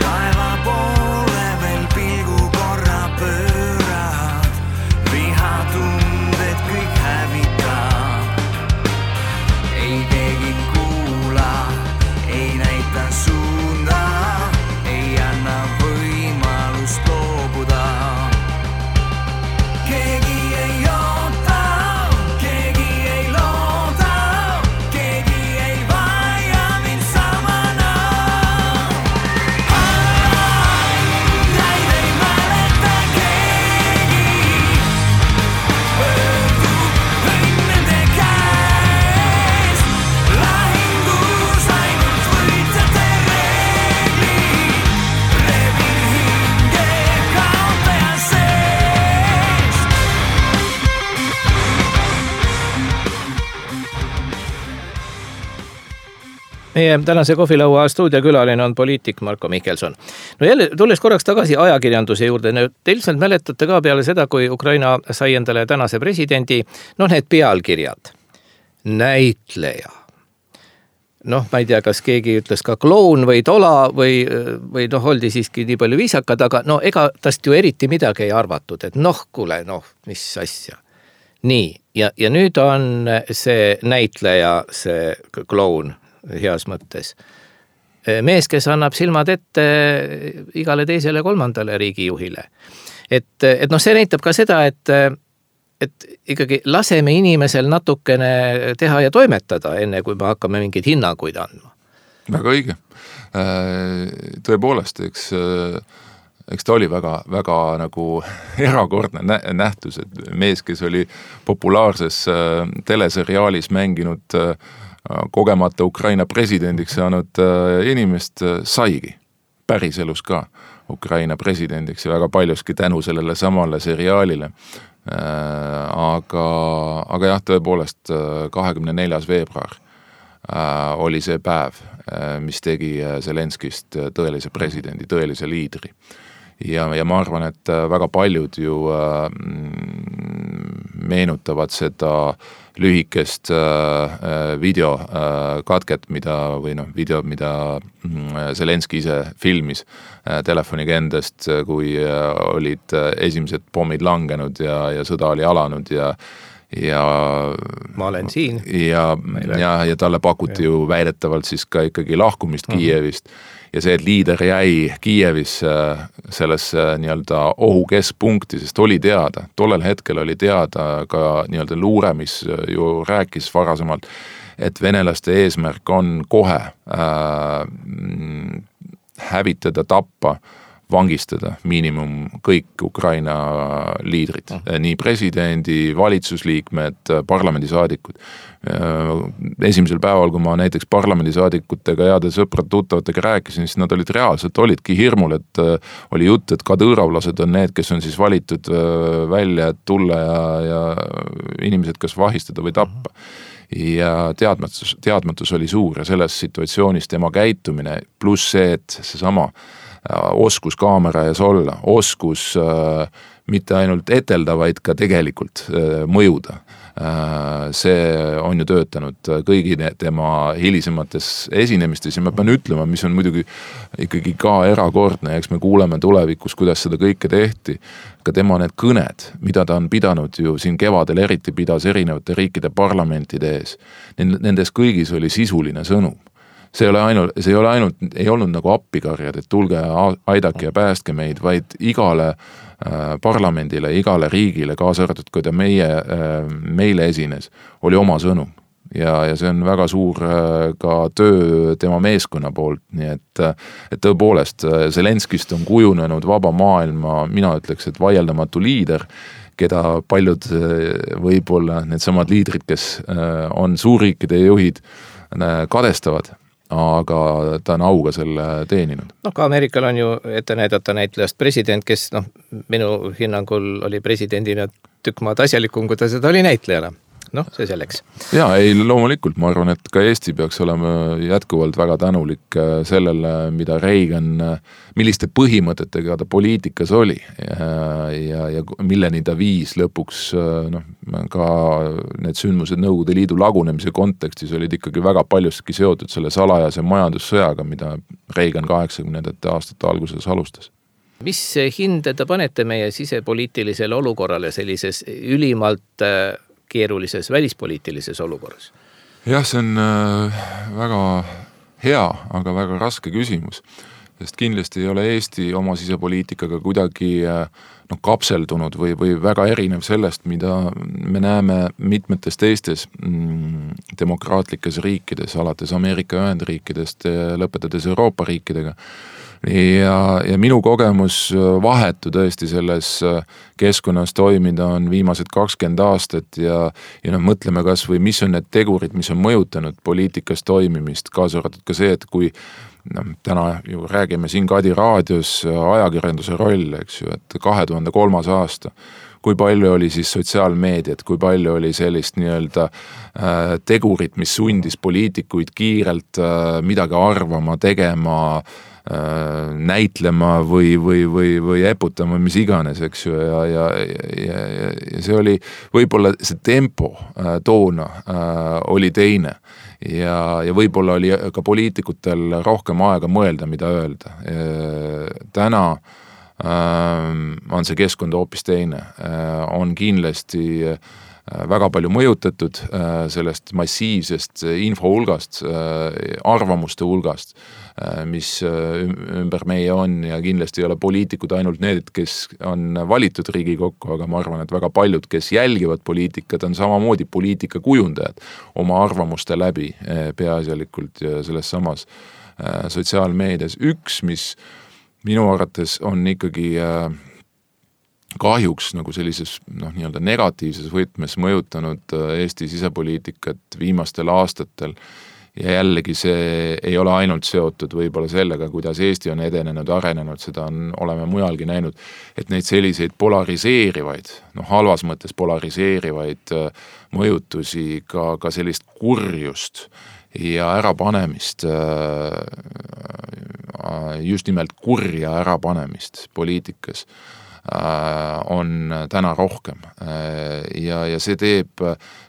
Taeva poole veel pilgu korra pöörad, vihatunded kõik hävitab. Ei keegi kuula, ei näita suunda, ei anna võimalust loobuda. Keegi ei oota, keegi ei looda, keegi ei vaja mind samana. Jäid ei mäleta keegi, pöördu õnn nende käes. Lahingus ainult võitjate reeglid, rebin hinge kaotaja sees. Meie tänase kohvilaua stuudiokülaline on poliitik Marko Mihkelson. No jälle, tulles korraks tagasi ajakirjanduse juurde, te ilmselt mäletate ka peale seda, kui Ukraina sai endale tänase presidendi, noh need pealkirjad. Näitleja. Noh, ma ei tea, kas keegi ütles ka kloun või tola või, või noh, oldi siiski nii palju viisakad, aga no ega tast ju eriti midagi ei arvatud, et noh, kuule, noh, mis asja. Nii, ja, ja nüüd on see näitleja, see kloun heas mõttes. Mees, kes annab silmad ette igale teisele kolmandale riigijuhile. Et, et noh, see näitab ka seda, et, et ikkagi laseme inimesel natukene teha ja toimetada, enne kui me hakkame mingeid hinnanguid andma. Väga õige. Tõepoolest, eks, eks ta oli väga, väga nagu erakordne nähtus, et mees, kes oli populaarses teleseriaalis mänginud kogemata Ukraina presidendiks saanud inimest, saigi päriselus ka Ukraina presidendiks ja väga paljuski tänu sellele samale seriaalile. Aga, aga jah, tõepoolest kahekümne neljas veebruar oli see päev, mis tegi Zelenskist tõelise presidendi, tõelise liidri. Ja, ja ma arvan, et väga paljud ju meenutavad seda lühikest video katket, mida, või noh, video, mida Zelenski ise filmis telefoniga endast, kui olid esimesed pommid langenud ja, ja sõda oli alanud ja ja ma olen siin ja, ja, ja talle pakuti ju väidetavalt siis ka ikkagi lahkumist uh-huh. Kiievist ja see, et liider jäi Kiievis sellesse nii-öelda ohu keskpunkti, sest oli teada, tollel hetkel oli teada ka nii-öelda luure, mis ju rääkis varasemalt, et venelaste eesmärk on kohe äh, hävitada, tappa vangistada miinimum kõik Ukraina liidrid, nii presidendi, valitsusliikmed, parlamendisaadikud. Esimesel päeval, kui ma näiteks parlamendisaadikutega, heade sõprad-tuttavatega rääkisin, siis nad olid reaalselt, olidki hirmul, et oli jutt, et kadõõravlased on need, kes on siis valitud välja, et tulla ja, ja inimesed kas vahistada või tappa. Ja teadmatus, teadmatus oli suur ja selles situatsioonis tema käitumine, pluss see, et see sama oskus kaamera ees olla, oskus äh, mitte ainult etelda, vaid ka tegelikult äh, mõjuda. Äh, see on ju töötanud kõigi tema hilisemates esinemistes ja ma pean ütlema, mis on muidugi ikkagi ka erakordne, eks me kuuleme tulevikus, kuidas seda kõike tehti, ka tema need kõned, mida ta on pidanud ju siin kevadel eriti pidas erinevate riikide parlamentide ees, nendes kõigis oli sisuline sõnum. See ei ole ainult, see ei ole ainult, ei olnud nagu appikarjad, et tulge aidake ja päästke meid, vaid igale äh, parlamendile, igale riigile, kaasa arvatud, kui ta meie, äh, meile esines, oli oma sõnum. Ja, ja see on väga suur äh, ka töö tema meeskonna poolt, nii et, et tõepoolest Zelenskist on kujunenud vaba maailma, mina ütleks, et vaieldamatu liider, keda paljud võib-olla need samad liidrid, kes äh, on suurriikide juhid, äh, kadestavad. Aga ta on auga selle teeninud. No ka Ameerikal on ju ette näidata näitlejast president, kes noh, minu hinnangul oli presidendina tükk maad asjalikum, kui ta seda oli näitlejana. Noh, see selleks. Jaa, ei loomulikult, ma arvan, et ka Eesti peaks olema jätkuvalt väga tänulik sellele, mida Reagan, milliste põhimõtetega ta poliitikas oli ja, ja, ja milleni ta viis lõpuks, noh, ka need sündmused Nõukogude Liidu lagunemise kontekstis olid ikkagi väga paljuski seotud selle salajase majandussõjaga, mida Reagan kaheksakümnendate aastate alguses alustas. Mis hinde te panete meie sisepoliitilisele olukorrale sellises ülimalt keerulises välispoliitilises olukorras? Jah, see on väga hea, aga väga raske küsimus, sest kindlasti ei ole Eesti oma sisepoliitikaga kuidagi no, kapseldunud või, või väga erinev sellest, mida me näeme mitmetes teistes mm, demokraatlikes riikides, alates Ameerika Ühendriikidest ja lõpetades Euroopa riikidega. Ja, ja minu kogemus vahetu tõesti selles keskkonnas toimida on viimased kakskümmend aastat ja, ja noh, mõtleme kas või mis on need tegurid, mis on mõjutanud poliitikas toimimist, kaasa arvatud ka see, et kui no, täna ju räägime siin Kadi raadios ajakirjanduse roll, eks ju, et kahe tuhande kolmas aasta, kui palju oli siis sotsiaalmeediat, kui palju oli sellist nii-öelda äh, tegurit, mis sundis poliitikuid kiirelt äh, midagi arvama, tegema, näitlema või, või, või, või eputama, mis iganes, eks ju, ja, ja, ja, ja see oli, võib-olla see tempo äh, toona äh, oli teine ja, ja võib-olla oli ka poliitikutel rohkem aega mõelda, mida öelda. Täna äh, on see keskkond hoopis teine, äh, on kindlasti äh, väga palju mõjutatud sellest massiivsest info hulgast, arvamuste hulgast, mis ümber meie on ja kindlasti ei ole poliitikud ainult need, kes on valitud Riigikokku, aga ma arvan, et väga paljud, kes jälgivad poliitikat, on samamoodi poliitika kujundajad oma arvamuste läbi peaasjalikult selles samas sotsiaalmeedias. Üks, mis minu arvates on ikkagi kahjuks nagu sellises noh, nii-öelda negatiivses võtmes mõjutanud Eesti sisepoliitikat viimastel aastatel ja jällegi see ei ole ainult seotud võib-olla sellega, kuidas Eesti on edenenud, arenenud, seda on, oleme mujalgi näinud, et neid selliseid polariseerivaid, noh halvas mõttes polariseerivaid mõjutusi, ka, ka sellist kurjust ja ärapanemist, just nimelt kurja ärapanemist poliitikas on täna rohkem ja, ja see teeb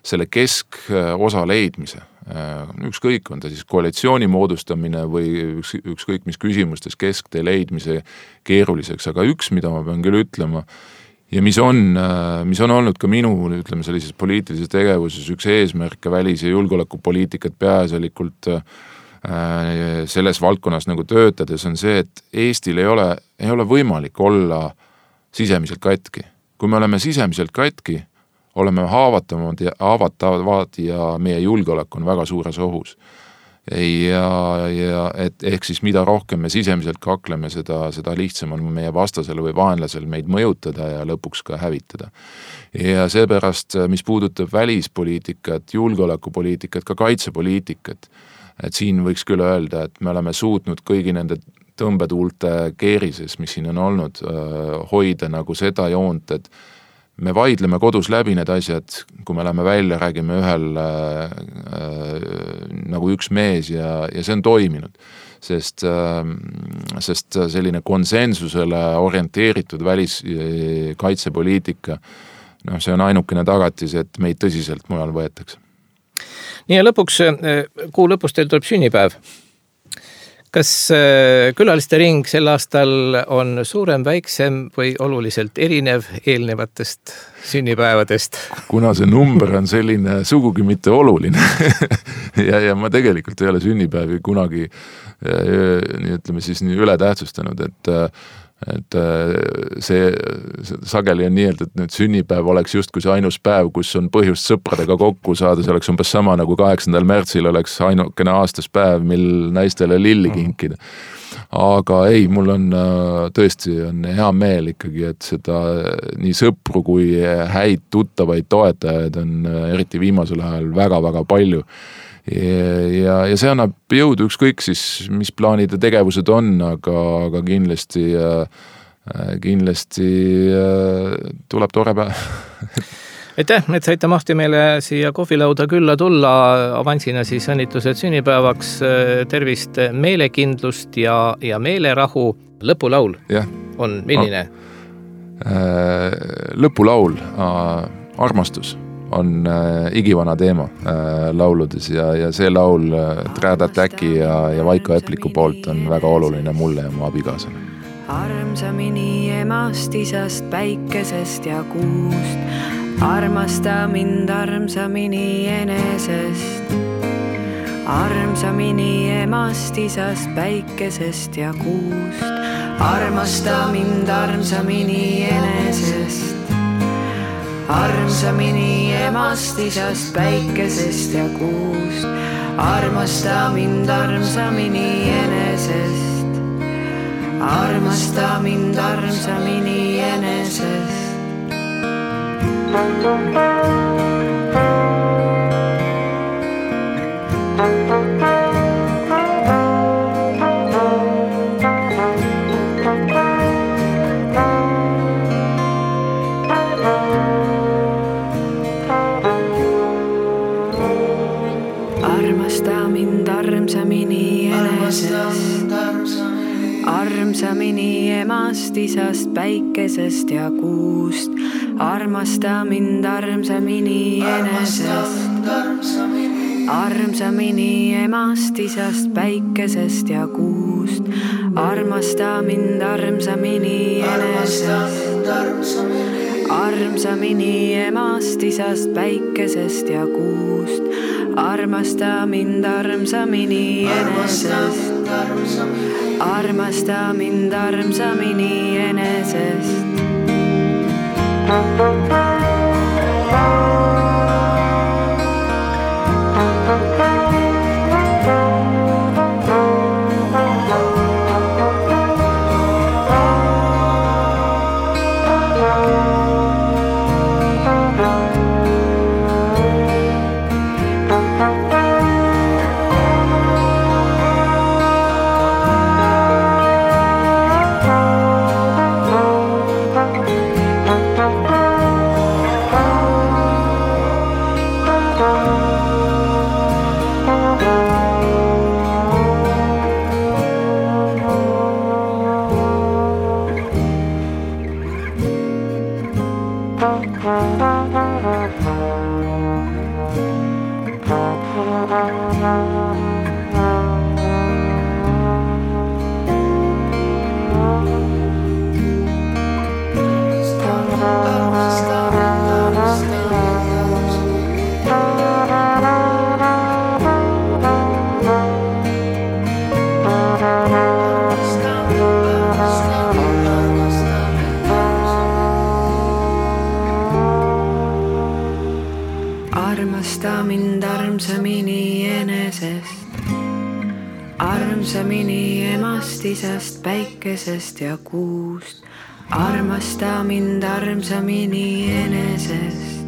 selle keskosa leidmise, ükskõik on ta siis koalitsiooni moodustamine või üks, ükskõik mis küsimustes kesktee leidmise keeruliseks, aga üks, mida ma pean küll ütlema ja mis on, mis on olnud ka minu, ütleme sellises poliitilises tegevuses üks eesmärke välis- ja julgeolekupoliitikat peaasjalikult selles valdkonnas nagu töötades on see, et Eestil ei ole, ei ole võimalik olla sisemiselt katki. Kui me oleme sisemiselt katki, oleme haavatavad ja, haavatavad ja meie julgeolek on väga suures ohus. ja, ja et ehk siis mida rohkem me sisemiselt kakleme, seda, seda lihtsam on meie vastasele või vaenlasel meid mõjutada ja lõpuks ka hävitada. Ja seepärast, mis puudutab välispoliitikat, julgeolekupoliitikat, ka kaitsepoliitikat, et siin võiks küll öelda, et me oleme suutnud kõigi nende tõmbetuulte keerises, mis siin on olnud, hoida nagu seda joont, et me vaidleme kodus läbi need asjad, kui me läheme välja, räägime ühel äh, äh, nagu üks mees ja, ja see on toiminud, sest, äh, sest selline konsensusele orienteeritud väliskaitsepoliitika, noh, see on ainukene tagatis, et meid tõsiselt mujal võetakse. Nii ja lõpuks, kuu lõpus teil tuleb sünnipäev. Kas külaliste ring sel aastal on suurem, väiksem või oluliselt erinev eelnevatest sünnipäevadest? Kuna see number on selline sugugi mitte oluline ja, ja ma tegelikult ei ole sünnipäevi kunagi nii ütleme siis nii üle tähtsustanud, et et see, see sageli on nii, et nüüd sünnipäev oleks justkui see ainus päev, kus on põhjust sõpradega kokku saada, see oleks umbes sama nagu kaheksandal märtsil oleks ainukene aastas päev, mil naistele lilli kinkida. Aga ei, mul on tõesti on hea meel ikkagi, et seda nii sõpru kui häid tuttavaid toetajaid on eriti viimasel ajal väga-väga palju. Ja, ja see annab jõudu ükskõik siis, mis plaanid ja tegevused on, aga, aga kindlasti, kindlasti tuleb tore päev. Aitäh, et saite mahti meile siia kohvilauda külla tulla, avansina siis õnnitlused sünnipäevaks, tervist, meelekindlust ja, ja meelerahu. Lõpulaul ja. On milline? Lõpulaul, armastus on äh, igivana teema äh, lauludes ja, ja see laul äh, Trad Attacki ja, ja Vaiko Epliku poolt on väga oluline mulle ja mu abikaasale. Armsamini emast, isast, päikesest ja kuust, armasta mind armsamini enesest. Armsamini emast, isast, päikesest ja kuust, armasta mind armsamini enesest. Armsamini emast, isast, päikesest ja kuust, armasta mind armsamini enesest. Armasta mind armsamini enesest. Armsamini enesest, armsamini emast, isast, päikesest ja kuust, armasta mind armsamini enesest. Armsamini emast, isast, päikesest ja kuust, armasta mind armsamini enesest. Armsamini emast, isast, päikesest ja kuust, armasta mind armsamini enesest. Armasta mind armsamini enesest. Armasta mind armsamini enesest. armsamini emast, isast, päikesest ja kuust. Armasta mind armsamini enesest.